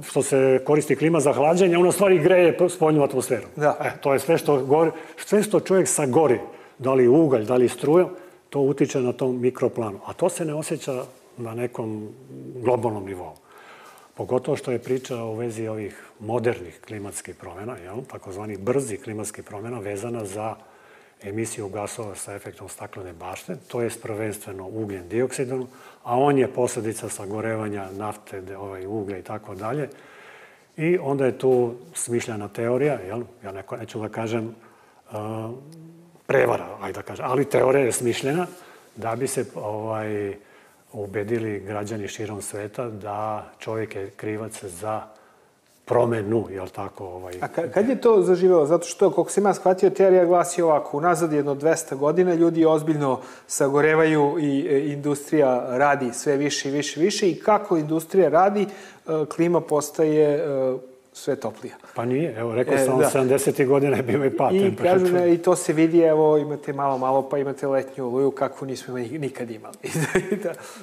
što se koristi klima za hlađenje, ona stvari greje spoljnu atmosferu. To je sve što čovjek sagori, da li ugalj, da li struja, to utiče na tom mikroplanu. A to se ne osjeća na nekom globalnom nivou. Pogotovo što je priča u vezi ovih modernih klimatskih promjena, takozvani brzi klimatskih promjena, vezana za emisiju gasova sa efektom staklene bašte, to je prvenstveno ugljen dioksidom, a on je posljedica sagorevanja nafte, uglja i tako dalje. I onda je tu smišljena teorija, ja neću da kažem prevara, ajde da kažem, ali teorija je smišljena da bi se ubedili građani širom sveta da čovjek je krivac za promenu, jel tako? A kad je to zaživelo? Zato što, koliko sam ja shvatio, teorija glasi ovako, unazad jedno 200 godina ljudi ozbiljno sagorevaju i industrija radi sve više i više i više i kako industrija radi, klima postaje sve toplija. Pa nije, evo rekao sam, 70. godina je bio i pad temperatura. I to se vidi, evo imate malo, pa imate letnju oluju, kakvu nismo nikad imali.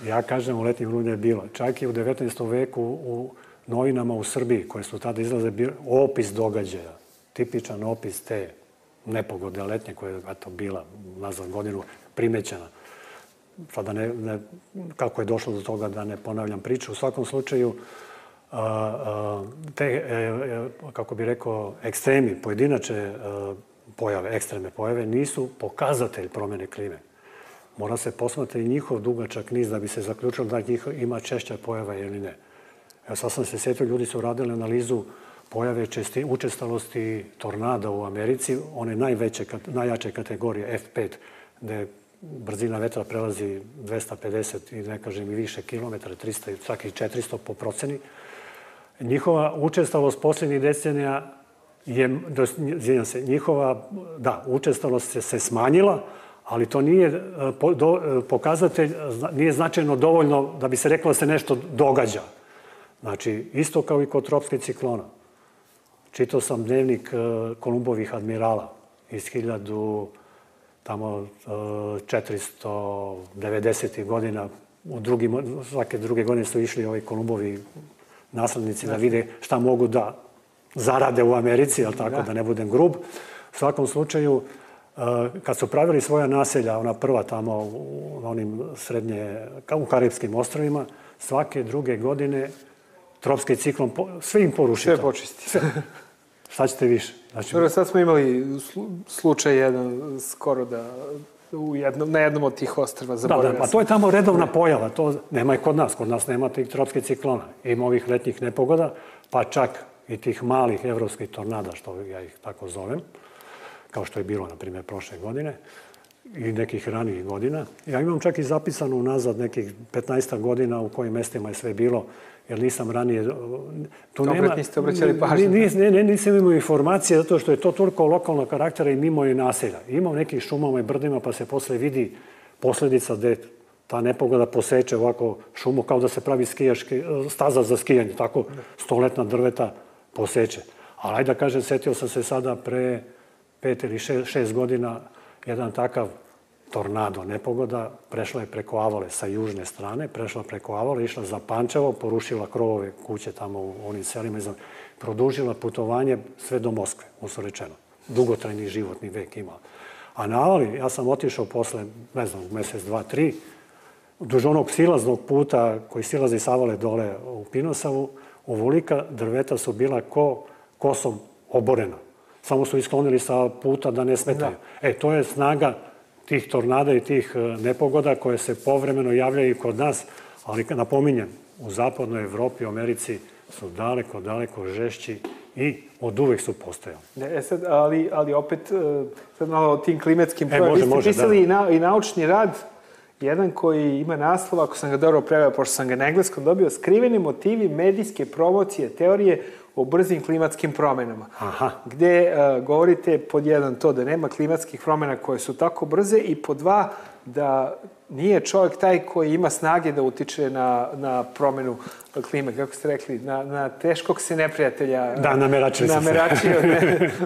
Ja kažem, u letnju oluju je bilo. Čak i u 19. veku u novinama u Srbiji, koje su tada izlaze, opis događaja, tipičan opis te nepogode letnje koja je bila nazad godinu primećena. Sada kako je došlo do toga da ne ponavljam priču. U svakom slučaju, te, kako bi rekao, ekstremi, pojedinačne pojave, ekstremne pojave, nisu pokazatelj promjene klime. Mora se posmatrati njihov dugačak niz da bi se zaključilo da njih ima češća pojava ili ne. Evo sad sam se sjetio, ljudi su radili analizu pojave učestalosti tornada u Americi, one najjače kategorije F5, gde brzina vetra prelazi 250 i ne kažem i više kilometara, 300 i čak i 400 po proceni. Njihova učestalost posljednjih decenija je, učestalost se smanjila, ali to nije pokazatelj, nije značajno dovoljno da bi se reklo da se nešto događa. Znači, isto kao i kod tropskih ciklona. Čitao sam dnevnik Kolumbovih admirala iz 1490. godina. Svake druge godine su išli ovi Kolumbovi naslednici da vide šta mogu da zarade u Americi, ali tako da ne budem grub. U svakom slučaju, kad su pravili svoja naselja, ona prva tamo u onim u Karibskim ostrovima, svake druge godine tropski ciklon sve im poruši. Sve počisti. Šta ćete više? Znači, sad smo imali slučaj jedan skoro da na jednom od tih ostrva zaboravio. Da, pa to je tamo redovna pojava. To nema i kod nas. Kod nas nema tih tropskih ciklona. Ima ovih letnjih nepogoda, pa čak i tih malih evropskih tornada, što ja ih tako zovem, kao što je bilo, na primjer, prošle godine i nekih ranijih godina. Ja imam čak i zapisano unazad nekih 15 godina u kojim mestima je sve bilo, jer nisam ranije... Opet niste obraćali pažnju. Nisam imao informacije, zato što je to toliko lokalnog karaktera i mimo je naselja. Ima u nekih šumama i brdima, pa se posle vidi posledica gde ta nepogoda poseče ovako šumu, kao da se pravi staza za skijanje, tako 100-letna drveta poseče. Ali ajde da kažem, setio sam se sada pre 5 ili 6 godina, jedan takav tornado nepogoda prešla je preko Avale sa južne strane, prešla preko Avale, išla za Pančevo, porušila krovove kuće tamo u onim selima, produžila putovanje sve do Moskve, uslovno rečeno. Dugotrajni životni vek imala. A na Avali, ja sam otišao posle, ne znam, mesec, 2, 3, duž onog silaznog puta koji silazi s Avale dole u Pinosavu, ovolika drveta su bila kosom oborena. Samo su isklonili sa puta da ne smetaju. To je snaga tih tornada i tih nepogoda koje se povremeno javljaju i kod nas, ali napominjem, u zapadnoj Evropi, u Americi su daleko, daleko žešći i od uvek su postojali. Ali opet, sad malo o tim klimatskim promjenama. Vi ste pisali i naučni rad, jedan koji ima naslov, ako sam ga dobro preveo, pošto sam ga na engleskom dobio, Skriveni motivi medijske promocije teorije o brzim klimatskim promenama. Gde govorite pod jedan to da nema klimatskih promena koje su tako brze i pod dva da nije čovjek taj koji ima snage da utiče na promenu klime. Kako ste rekli, na teškog se neprijatelja nameračio.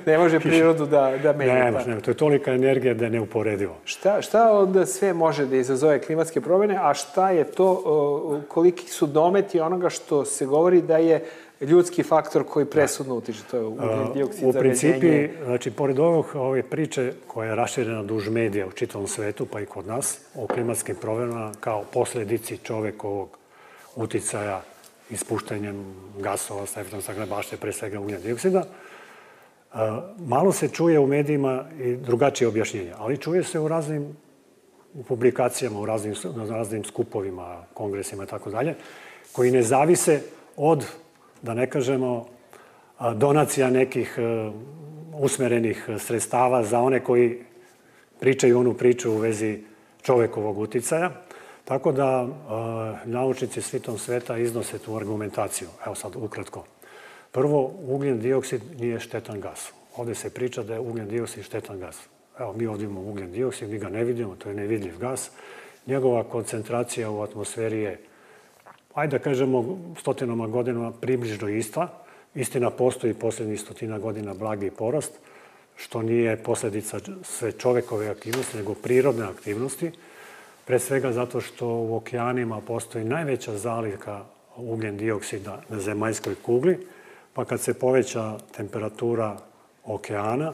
Ne može prirodu da menja. Ne, to je tolika energija da je neuporedivo. Šta onda sve može da izazove klimatske promene, a šta je to, koliki su dometi onoga što se govori da je ljudski faktor koji presudno utiče, to je ugljen dioksid, zagađenje. U principi, znači, pored ove priče koja je raširena duž medija u čitavom svetu, pa i kod nas, o klimatskim promjenama kao posledici čovekovog uticaja ispuštanjem gasova sa efektom staklene bašte, pre svega ugljen dioksida, malo se čuje u medijima i drugačije objašnjenja, ali čuje se u raznim publikacijama, u raznim skupovima, kongresima i tako dalje, koji ne zavise od, da ne kažemo, donacija nekih usmerenih sredstava za one koji pričaju onu priču u vezi čovekovog uticaja. Tako da naučnici svitom sveta iznose tu argumentaciju. Evo sad ukratko. Prvo, ugljen dioksid nije štetan gas. Ovde se priča da je ugljen dioksid štetan gas. Evo, mi ovdje imamo ugljen dioksid, mi ga ne vidimo, to je nevidljiv gas. Njegova koncentracija u atmosferi je, ajde da kažemo, stotinama godinama približno ista. Istina, postoji posljednjih 100 godina blagi porast, što nije posledica sve čovekove aktivnosti, nego prirodne aktivnosti. Pre svega zato što u okeanima postoji najveća zalivka ugljen dioksida na zemaljskoj kugli, pa kad se poveća temperatura okeana,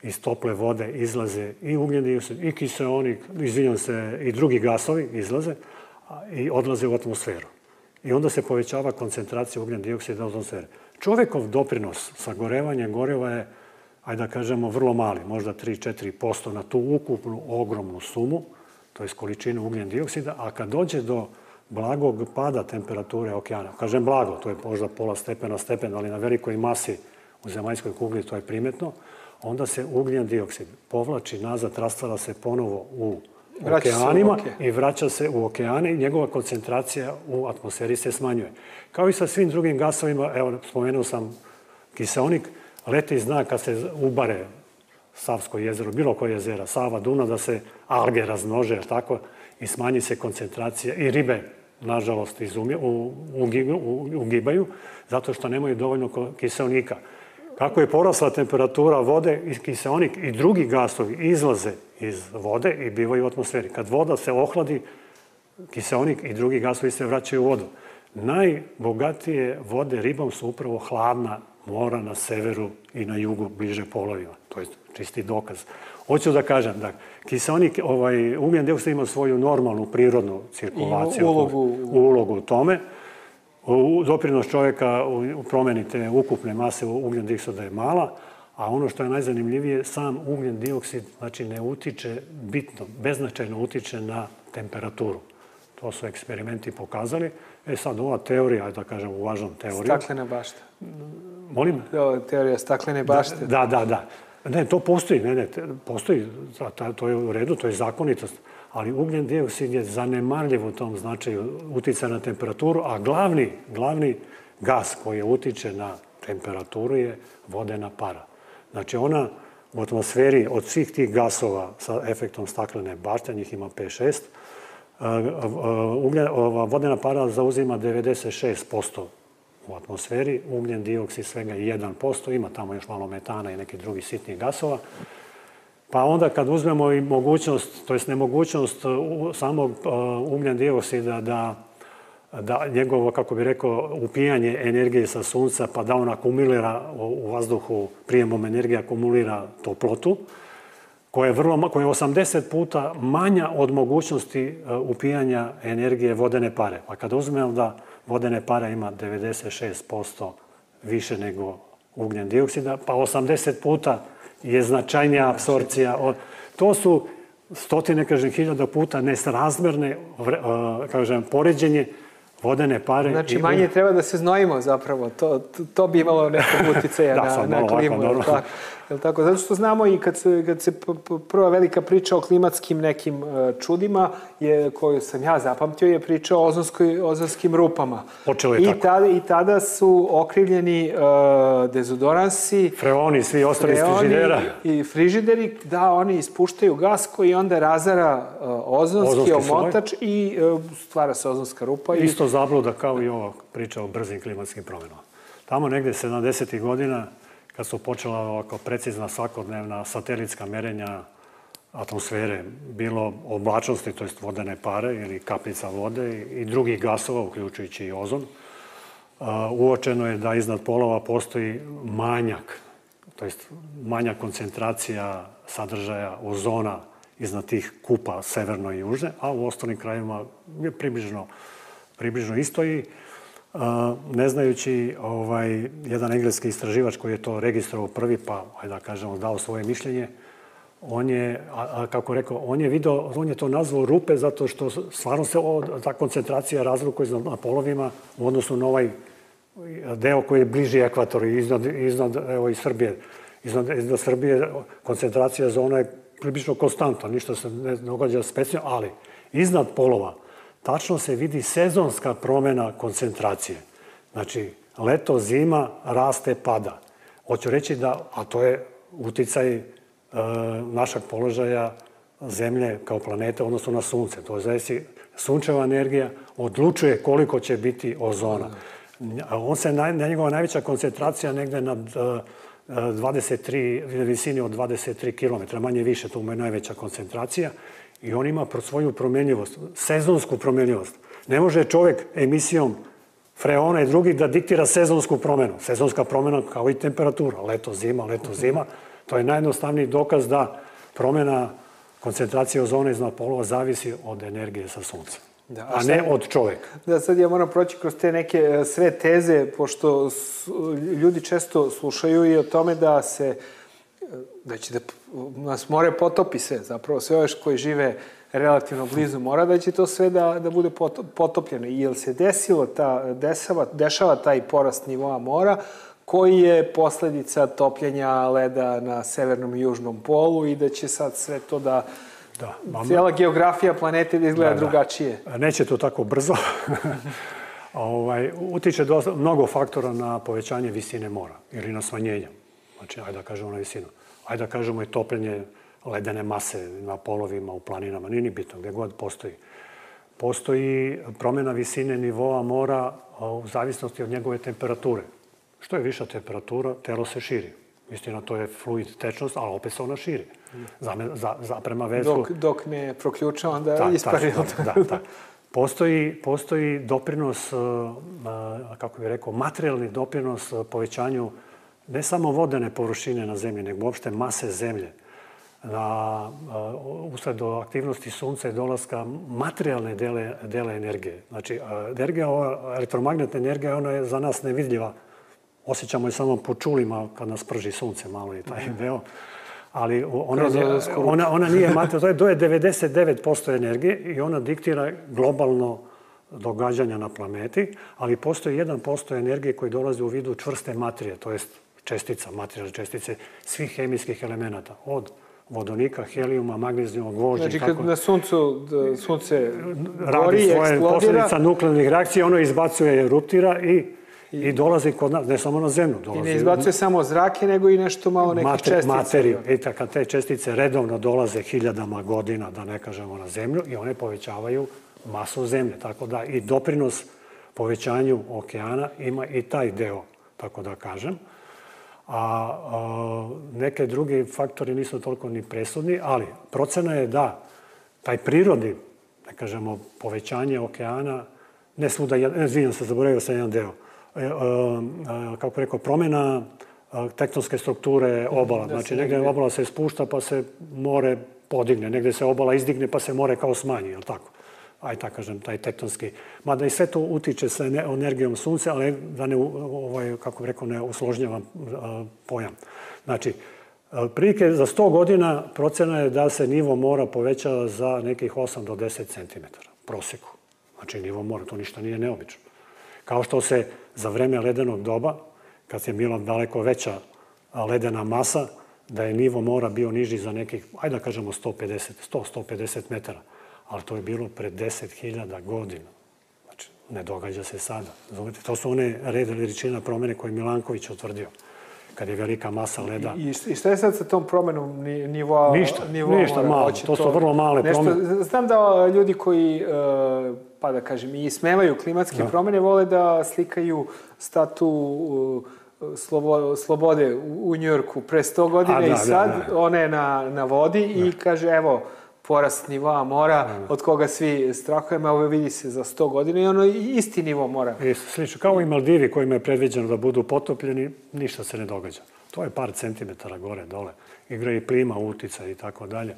iz tople vode izlaze i ugljen dioksid, i kiseonik, i drugi gasovi izlaze i odlaze u atmosferu. I onda se povećava koncentracija ugljen dioksida u atmosferi. Čovekov doprinos sagorevanja goriva je, ajde da kažemo, vrlo mali, možda 3-4% na tu ukupnu ogromnu sumu, to je količinu ugljen dioksida, a kad dođe do blagog pada temperature okeana, kažem blago, to je možda pola stepena, ali na velikoj masi u zemaljskoj kugli to je primetno, onda se ugljen dioksid povlači nazad, rastvara se ponovo u okeanima i vraća se u okeane i njegova koncentracija u atmosferi se smanjuje. Kao i sa svim drugim gasovima, evo, spomenuo sam kiseonik, leti zna kad se ubare Savsko jezero, bilo koje jezera, Sava, Dunav, da se alge razmnože, tako, i smanji se koncentracija i ribe, nažalost, ugibaju, zato što nemaju dovoljno kiseonika. Kako je porasla temperatura vode, kiseonik i drugi gasovi izlaze iz vode i bivaju u atmosferi. Kad voda se ohladi, kiseonik i drugi gasovi se vraćaju u vodu. Najbogatije vode ribom su upravo hladna mora na severu i na jugu bliže polovima. To je čisti dokaz. Hoću da kažem da kiseonik, ugljen dioksid ima svoju normalnu prirodnu cirkulaciju, ulogu u tome. Doprinos čovjeka u promjeni te ukupne mase ugljen dioksida je mala, a ono što je najzanimljivije, sam ugljen dioksid znači ne utiče bitno, beznačajno utiče na temperaturu. To su eksperimenti pokazali. Sad ova teorija, da kažem uvažam teoriju. Staklene bašte. Molim? Teorija staklene bašte. Da. Ne, to postoji. Postoji. To je u redu, to je zakonitost. Ali ugljen dioksid je zanemarljiv u tom značaju uticaja na temperaturu, a glavni gas koji utiče na temperaturu je vodena para. Znači ona u atmosferi od svih tih gasova sa efektom staklene bašte, njih ima 5-6, vodena para zauzima 96% u atmosferi, ugljen dioksid svega 1%, ima tamo još malo metana i nekih drugih sitnih gasova. Pa onda kad uzmemo i mogućnost, to jest nemogućnost samog ugljen dioksida da njegovo, kako bi rekao, upijanje energije sa sunca, pa da on akumulira u vazduhu, prijemom energije akumulira toplotu, koja je 80 puta manja od mogućnosti upijanja energije vodene pare. Pa kada uzmemo da vodene pare ima 96% više nego ugljen dioksida, pa 80 puta je značajnija apsorpcija. To su stotine, hiljada puta nesrazmerne, poređenje vodene pare. Znači, manje treba da se znojimo zapravo. To bi imalo nekog uticaja na klimu. Tako? Zato što znamo i kad se prva velika priča o klimatskim nekim čudima, koju sam ja zapamtio, je priča o ozonskim rupama. Počelo je tako. I tada su okrivljeni dezodoransi, freoni, svi ostali iz frižidera. I frižideri, da, oni ispuštaju gas koji onda razara ozonski omotač i stvara se ozonska rupa. Isto zabluda kao i ova priča o brzim klimatskim promjenama. Tamo negde 70. godina, kad su počela ovako precizna svakodnevna satelitska merenja atmosfere, bilo oblačnosti, to jest vodene pare ili kapljica vode i drugih gasova, uključujući i ozon, uočeno je da iznad polova postoji manjak, to jest manja koncentracija sadržaja ozona iznad tih kupa severno i južne, a u ostalim krajevima je približno isto i ne znajući jedan engleski istraživač koji je to registrovao prvi, pa ajde da kažemo dao svoje mišljenje, on je, kako rekao, on je to nazvao rupe zato što stvarno se ta koncentracija razlikuje na polovima u odnosu na ovaj deo koji je bliži ekvatoru, iznad Srbije. Iznad Srbije koncentracija zona je približno konstantna, ništa se ne događa specijalno, ali iznad polova tačno se vidi sezonska promjena koncentracije. Znači, leto, zima, raste, pada. Hoću reći da, a to je uticaj našeg položaja Zemlje kao planete, odnosno na Sunce. To je zaista sunčeva energija odlučuje koliko će biti ozona. Njegova najveća koncentracija negde na visini od 23 km, manje više, to mu je najveća koncentracija. I on ima svoju promjenljivost, sezonsku promjenljivost. Ne može čovjek emisijom freona i drugih da diktira sezonsku promjenu. Sezonska promjena kao i temperatura. Leto, zima. To je najjednostavniji dokaz da promjena koncentracije ozona iznad polova zavisi od energije sa sunca. A ne od čovjeka. Da, sad ja moram proći kroz te neke sve teze, pošto ljudi često slušaju i o tome da će da nas more potopi sve, zapravo sve ove koji žive relativno blizu mora, da će to sve da bude potopljeno. I jel se dešava taj porast nivoa mora, koji je posljedica topljenja leda na severnom i južnom polu i da će sad sve to cijela geografija planete da izgleda drugačije. Neće to tako brzo. Utiče mnogo faktora na povećanje visine mora ili na smanjenje. Znači, ajde da kažemo na visinu. Ajde da kažemo i topljenje ledene mase na polovima, u planinama. Nije ni bitno, gdje god postoji. Postoji promjena visine nivoa mora u zavisnosti od njegove temperature. Što je viša temperatura, telo se širi. Istina, to je fluid tečnost, ali opet se ona širi. Prema veslu... Dok ne proključa, onda ispari. Da. Postoji doprinos, kako bih rekao, materijalni doprinos povećanju ne samo vodene površine na zemlji, nego uopšte mase zemlje, usled aktivnosti sunca i dolaska materijalne dele energije. Znači, elektromagnetna energija, ona je za nas nevidljiva. Osjećamo je samo po čulima kad nas prži sunce malo i taj deo. Ali ona nije materijalna. To je 99% energije i ona diktira globalno događanja na planeti, ali postoji 1% energije koji dolazi u vidu čvrste materije, to jest čestica, materijalne čestice svih hemijskih elemenata, od vodonika, helijuma, magnezijuma, gvožđa. Znači, kad na sunce radi svoje posljedica nuklearnih reakcija, ono izbacuje, eruptira i dolazi kod nas, ne samo na zemlju. I ne izbacuje samo zrake, nego i nešto malo nekih čestica. Materiju. I kad te čestice redovno dolaze hiljadama godina, da ne kažemo na zemlju, i one povećavaju masu zemlje. Tako da i doprinos povećanju okeana ima i taj deo, tako da kažem. A neke drugi faktori nisu toliko ni presudni, ali procena je da taj prirodi, da kažemo, povećanje okeana, ne svuda, izvinjam se, zaboravio sam jedan deo, kako rekao, promjena tektonske strukture obala. Znači, negdje obala se spušta pa se more podigne, negdje se obala izdigne pa se more kao smanji, je li tako? Aj tako kažem, taj tektonski. Mada i sve to utiče sa energijom sunca, ali da ne, kako bih rekao, ne usložnjavam pojam. Znači, prilike za 100 godina procena je da se nivo mora poveća za nekih 8 do 10 cm prosjeku. Znači, nivo mora, to ništa nije neobično. Kao što se za vreme ledenog doba, kad je bila daleko veća ledena masa, da je nivo mora bio niži za nekih, ajde da kažemo 100-150 metara. Ali to je bilo pred 10.000 godina. Znači, ne događa se sada. Zovete, to su one red veličina promjene koje je Milanković utvrdio, kad je velika masa leda. I šta je sad sa tom promenom nivoa mora? Ništa malo. To su vrlo male promjene. Znam da ljudi koji, pa da kažem, i ismevaju klimatske promjene, vole da slikaju statu slobode u Njujorku pre 100 godina i sad ona je na vodi i kaže, evo, porast nivoa mora, od koga svi strahujemo, ovo vidi se za 100 godina i ono isti nivo mora. Slično, kao i Maldivi kojima je predviđeno da budu potopljeni, ništa se ne događa. To je par centimetara gore, dole. Igra i plima, uticaj i tako dalje.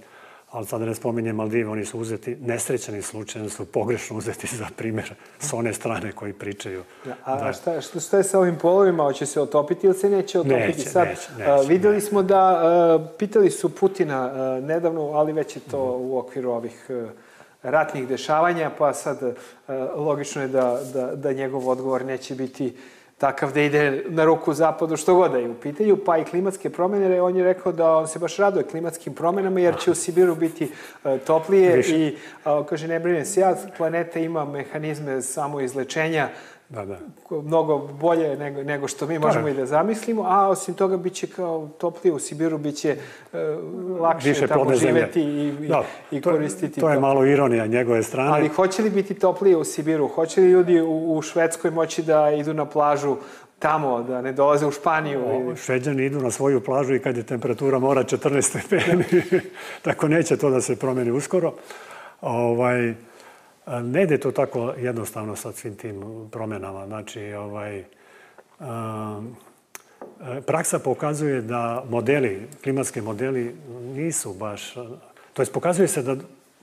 Ali sad ne spominjem Maldive, oni su uzeti, nesrećeni slučajno su pogrešno uzeti za primjer s one strane koji pričaju. A šta je sa ovim polovima? Hoće se otopiti ili se neće otopiti? Vidjeli smo da, pitali su Putina nedavno, ali već je to u okviru ovih ratnih dešavanja, pa sad logično je da njegov odgovor neće biti takav da ide na ruku zapadu što god da je u pitanju, pa i klimatske promjene. On je rekao da on se baš raduje klimatskim promjenama jer će u Sibiru biti toplije i kaže ne brine se ja, planeta ima mehanizme samoizlečenja mnogo bolje nego što mi možemo i da zamislimo, a osim toga bit će kao toplije u Sibiru, bit će lakše tamo živeti i koristiti to. To je malo ironija njegove strane. Ali hoće li biti toplije u Sibiru? Hoće li ljudi u Švedskoj moći da idu na plažu tamo, da ne dolaze u Španiju? Šveđani idu na svoju plažu i kad je temperatura mora 14 stepeni. Tako neće to da se promeni uskoro. Ne ide to tako jednostavno sa svim tim promjenama. Znači, praksa pokazuje da modeli, klimatski modeli nisu baš, to jest pokazuje se da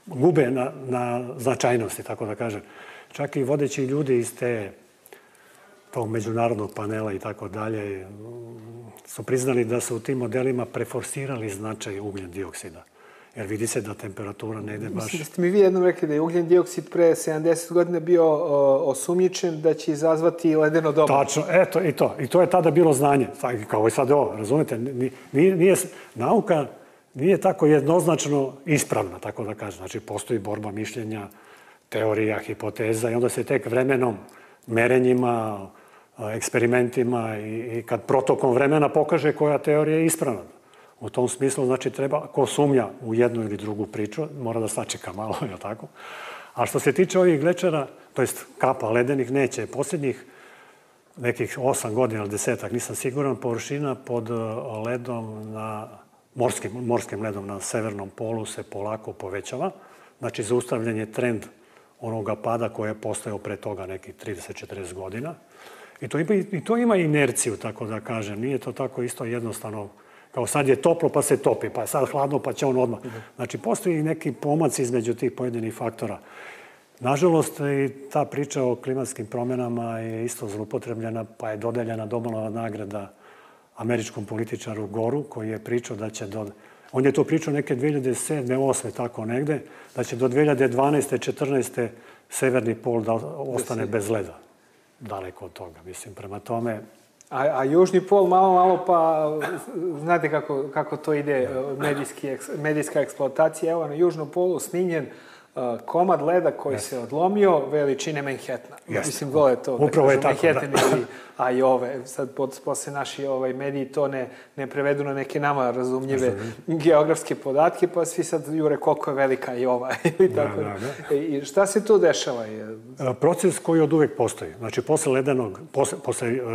gube na značajnosti, tako da kažem. Čak i vodeći ljudi iz tog međunarodnog panela i tako dalje su priznali da su u tim modelima preforsirali značaj ugljen dioksida. Jer vidi se da temperatura ne ide baš... Mislim da ste mi vi jednom rekli da je ugljen dioksid pre 70 godina bio osumnjičen da će izazvati ledeno doba. Tačno, eto i to. I to je tada bilo znanje. Kao i sad ovo, razumete? Nauka nije tako jednoznačno ispravna, tako da kažem. Znači, postoji borba mišljenja, teorija, hipoteza i onda se tek vremenom, merenjima, eksperimentima i kad protokom vremena pokaže koja teorija je ispravna. U tom smislu, znači, treba, ko sumnja u jednu ili drugu priču, mora da sačeka malo, je tako? A što se tiče ovih glečera, to jest kapa ledenih, neće. Posljednjih nekih 8 godina ili 10-ak, nisam siguran, površina pod ledom, morskim ledom na severnom polu se polako povećava. Znači, zaustavljen je trend onoga pada koji je postojao pre toga nekih 30-40 godina. I to ima inerciju, tako da kažem. Nije to tako isto jednostavno. Kao sad je toplo pa se topi, pa je sad hladno pa će on odmah. Znači, postoji neki pomac između tih pojedinih faktora. Nažalost, i ta priča o klimatskim promjenama je isto zloupotrebljena, pa je dodeljena Nobelova nagrada američkom političaru Goru, koji je pričao da će on je to pričao neke 2007. 2008. tako negde, da će do 2012. 2014. severni pol da ostane bez leda. Daleko od toga, mislim, prema tome. A južni pol malo, pa znate kako to ide, medijska eksploatacija. Evo, na južnom polu snimljen komad leda koji se odlomio veličine Manhattana. Mislim, vole to. Upravo je tako. Manhattan a i ove, sad posle naši mediji to ne prevedu na neke nama razumljive geografske podatke, pa svi sad jure koliko je velika i ova. I šta se tu dešava? Proces koji od uvek postoji. Znači, posle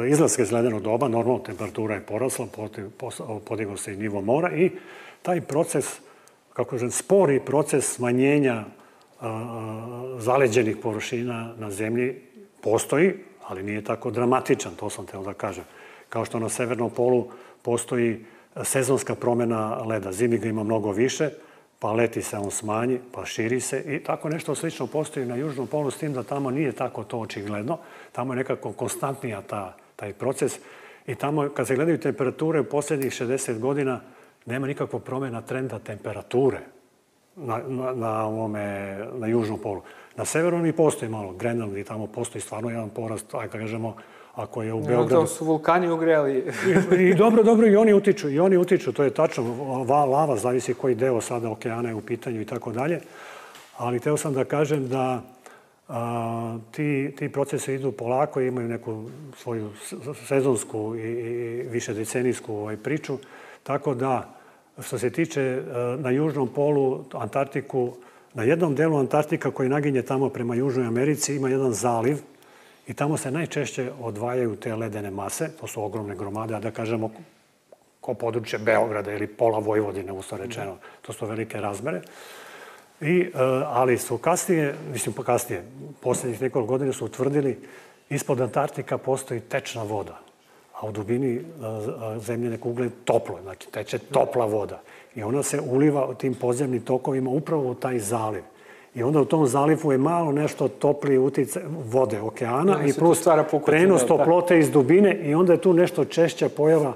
izlaska iz ledenog doba, normalno temperatura je porasla, podigao se i nivo mora i taj proces, kako kažem, spori proces smanjenja zaleđenih površina na zemlji postoji, ali nije tako dramatičan, to sam hteo da kažem. Kao što na severnom polu postoji sezonska promjena leda. Zimi ga ima mnogo više, pa leti se on smanji, pa širi se i tako nešto slično postoji na južnom polu, s tim da tamo nije tako to očigledno. Tamo je nekako konstantnija taj proces i tamo, kad se gledaju temperature u posljednjih 60 godina, nema nikakvog promjena trenda temperature na južnom polu. Na severu i postoji malo, Grenland i tamo postoji stvarno jedan porast, ajde kažemo, ako je u Beogradu... To su vulkani ugreli. I dobro, i oni utiču, to je tačno. Lava, zavisi koji deo sada okeana je u pitanju i tako dalje. Ali hteo sam da kažem da ti procesi idu polako i imaju neku svoju sezonsku i višedecenijsku priču. Tako da, što se tiče na južnom polu, Antarktiku, na jednom delu Antarktika koji naginje tamo prema Južnoj Americi ima jedan zaliv i tamo se najčešće odvajaju te ledene mase, to su ogromne gromade, a da kažemo ko područje Beograda ili pola Vojvodine, usto rečeno, to su velike razmere. Ali su kasnije, posljednjih nekoliko godina su utvrdili ispod Antarktika postoji tečna voda, a u dubini zemljene kugle toplo, znači teče topla voda. I ona se uliva tim podzemnim tokovima upravo u taj zaliv. I onda u tom zalivu je malo nešto toplije utjecaj vode okeana i plus prenos toplote iz dubine i onda je tu nešto češća pojava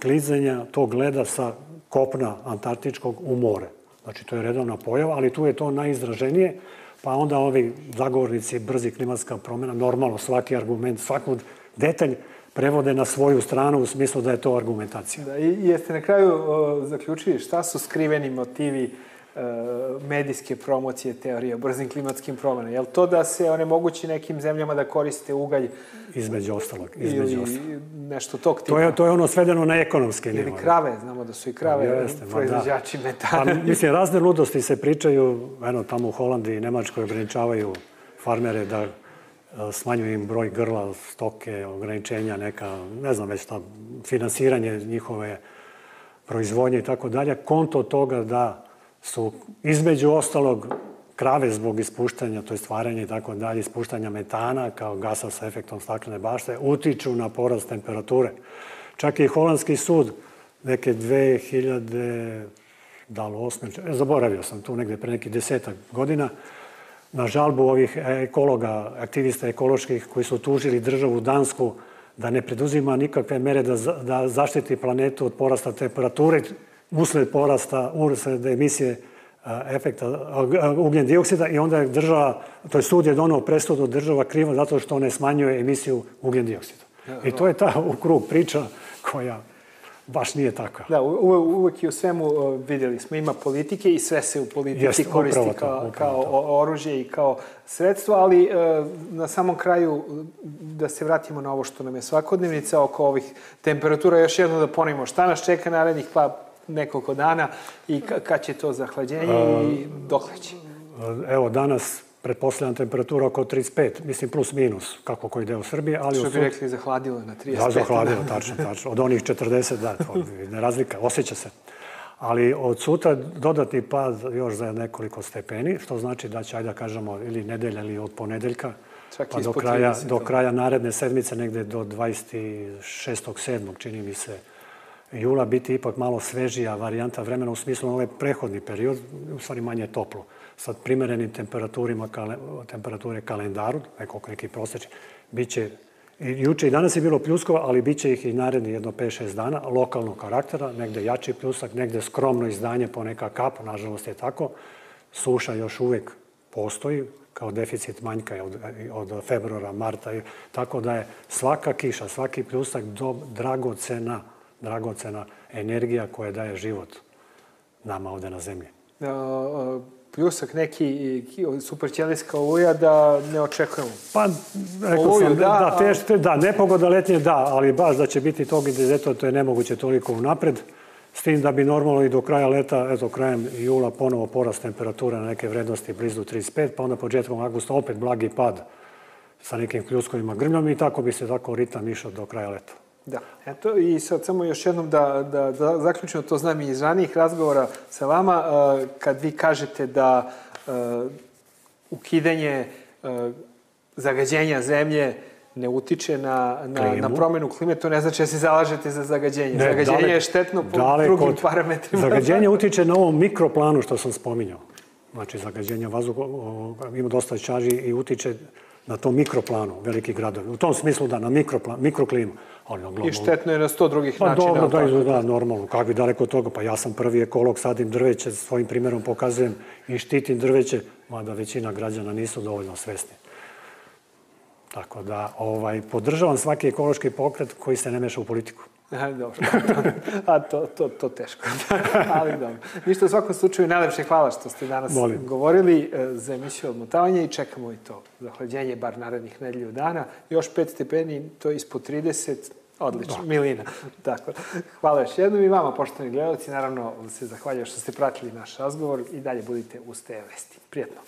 klizanja tog leda sa kopna antarktičkog u more. Znači, to je redovna pojava, ali tu je to najizraženije, pa onda ovi zagovornici brzi klimatska promjena, normalno svaki argument, svaki detalj prevode na svoju stranu u smislu da je to argumentacija. I jeste na kraju zaključili šta su skriveni motivi medijske promocije teorije o brzim klimatskim promjenama? Je li to da se onemogući nekim zemljama da koriste ugalj? Između ostalog. Ili nešto tog tipa? To je ono svedeno na ekonomske nivo. Ili krave, znamo da su i krave proizvođači metana. Mislim, razne ludosti se pričaju, eno, tamo u Holandiji i Nemačkoj ograničavaju farmere da smanjuju im broj grla, stoke, ograničenja, neka, ne znam već šta, finansiranje njihove proizvodnje i tako dalje, konto toga da su između ostalog krave zbog ispuštanja, to je stvaranje i tako dalje, ispuštanja metana kao gasa sa efektom staklene bašte, utiču na porast temperature. Čak i holandski sud neke 2008, zaboravio sam tu negde pre nekih 10 godina, na žalbu ovih ekologa, aktivista ekoloških koji su tužili državu Dansku da ne preduzima nikakve mere da zaštiti planetu od porasta temperature usled emisije efekta ugljen dioksida i onda je država, to je sud je donao presudu država kriva zato što ne smanjuje emisiju ugljen dioksida. I to je ta u krug priča koja baš nije takva. Da, uvek i u svemu vidjeli smo, ima politike i sve se u politici koristi kao oružje i kao sredstvo, ali na samom kraju da se vratimo na ovo što nam je svakodnevnica oko ovih temperatura, još jedno da ponovimo šta nas čeka narednih nekoliko dana i kad će to zahlađenje i dokle će? Evo, danas pretpostavljam temperatura oko 35, mislim plus minus, kako koji deo Srbije. Što bi rekli, zahladilo na 35. Da, zahladilo, tačno. Od onih 40, da, to ne razlika, osjeća se. Ali od sutra dodatni pad još za nekoliko stepeni, što znači da će, ajde da kažemo, ili nedelja ili od ponedeljka pa do kraja naredne sedmice, negde do 26.7. čini mi se jula, biti ipak malo svežija varijanta vremena u smislu ovaj prehodni period, u stvari manje toplo. Sa primerenim temperature kalendaru, neki prosječni, bit će, juče i danas je bilo pljuskova, ali bit će ih i naredni jedno 5-6 dana, lokalnog karaktera, negde jači pljusak, negde skromno izdanje po neka kap, nažalost je tako. Suša još uvek postoji, kao deficit manjka od februara, marta, tako da je svaka kiša, svaki pljusak dragocena energija koja daje život nama ovde na zemlji. Pljusak neki superćelijska oluja da ne očekujemo. Pa, rekao sam, da, nepogoda letnje da, ali baš da će biti tog intenziteta, to je nemoguće toliko unapred. S tim da bi normalno i do kraja leta, eto, krajem jula ponovo porast temperature na neke vrednosti blizu 35, pa onda početkom avgusta opet blagi pad sa nekim pljuskovima grmljom i tako bi se tako ritam išao do kraja leta. Da, eto i sad samo još jednom da zaključimo, to znam i iz ranijih razgovora sa vama, kad vi kažete da ukidanje zagađenja zemlje ne utiče na promenu klime, to ne znači da se zalažete za zagađenje. Zagađenje je štetno po drugim parametrima. Zagađenje utiče na ovom mikroplanu što sam spominjao. Znači, zagađenje vazduha ima dosta čaži i utiče na tom mikroplanu velikih gradova. U tom smislu da, na mikroklimu. I štetno je na 100 drugih načina. Pa dobro, da, normalno. Kako bi daleko od toga? Pa ja sam prvi ekolog, sadim drveće, svojim primjerom pokazujem i štitim drveće, mada većina građana nisu dovoljno svesni. Tako da podržavam svaki ekološki pokret koji se ne meša u politiku. Dobro, a to teško. Ali dobro. Ništa, u svakom slučaju, najlepše hvala što ste danas govorili za emisiju Odmotavanje i čekamo i to zahlađenje, bar narednih nedelju dana. Još 5 stepeni, to je ispod 30, odlično, milina. Tako. Hvala još jednom i vama, poštovani gledalci. Naravno, se zahvaljujem što ste pratili naš razgovor i dalje budite uz te vesti. Prijetno.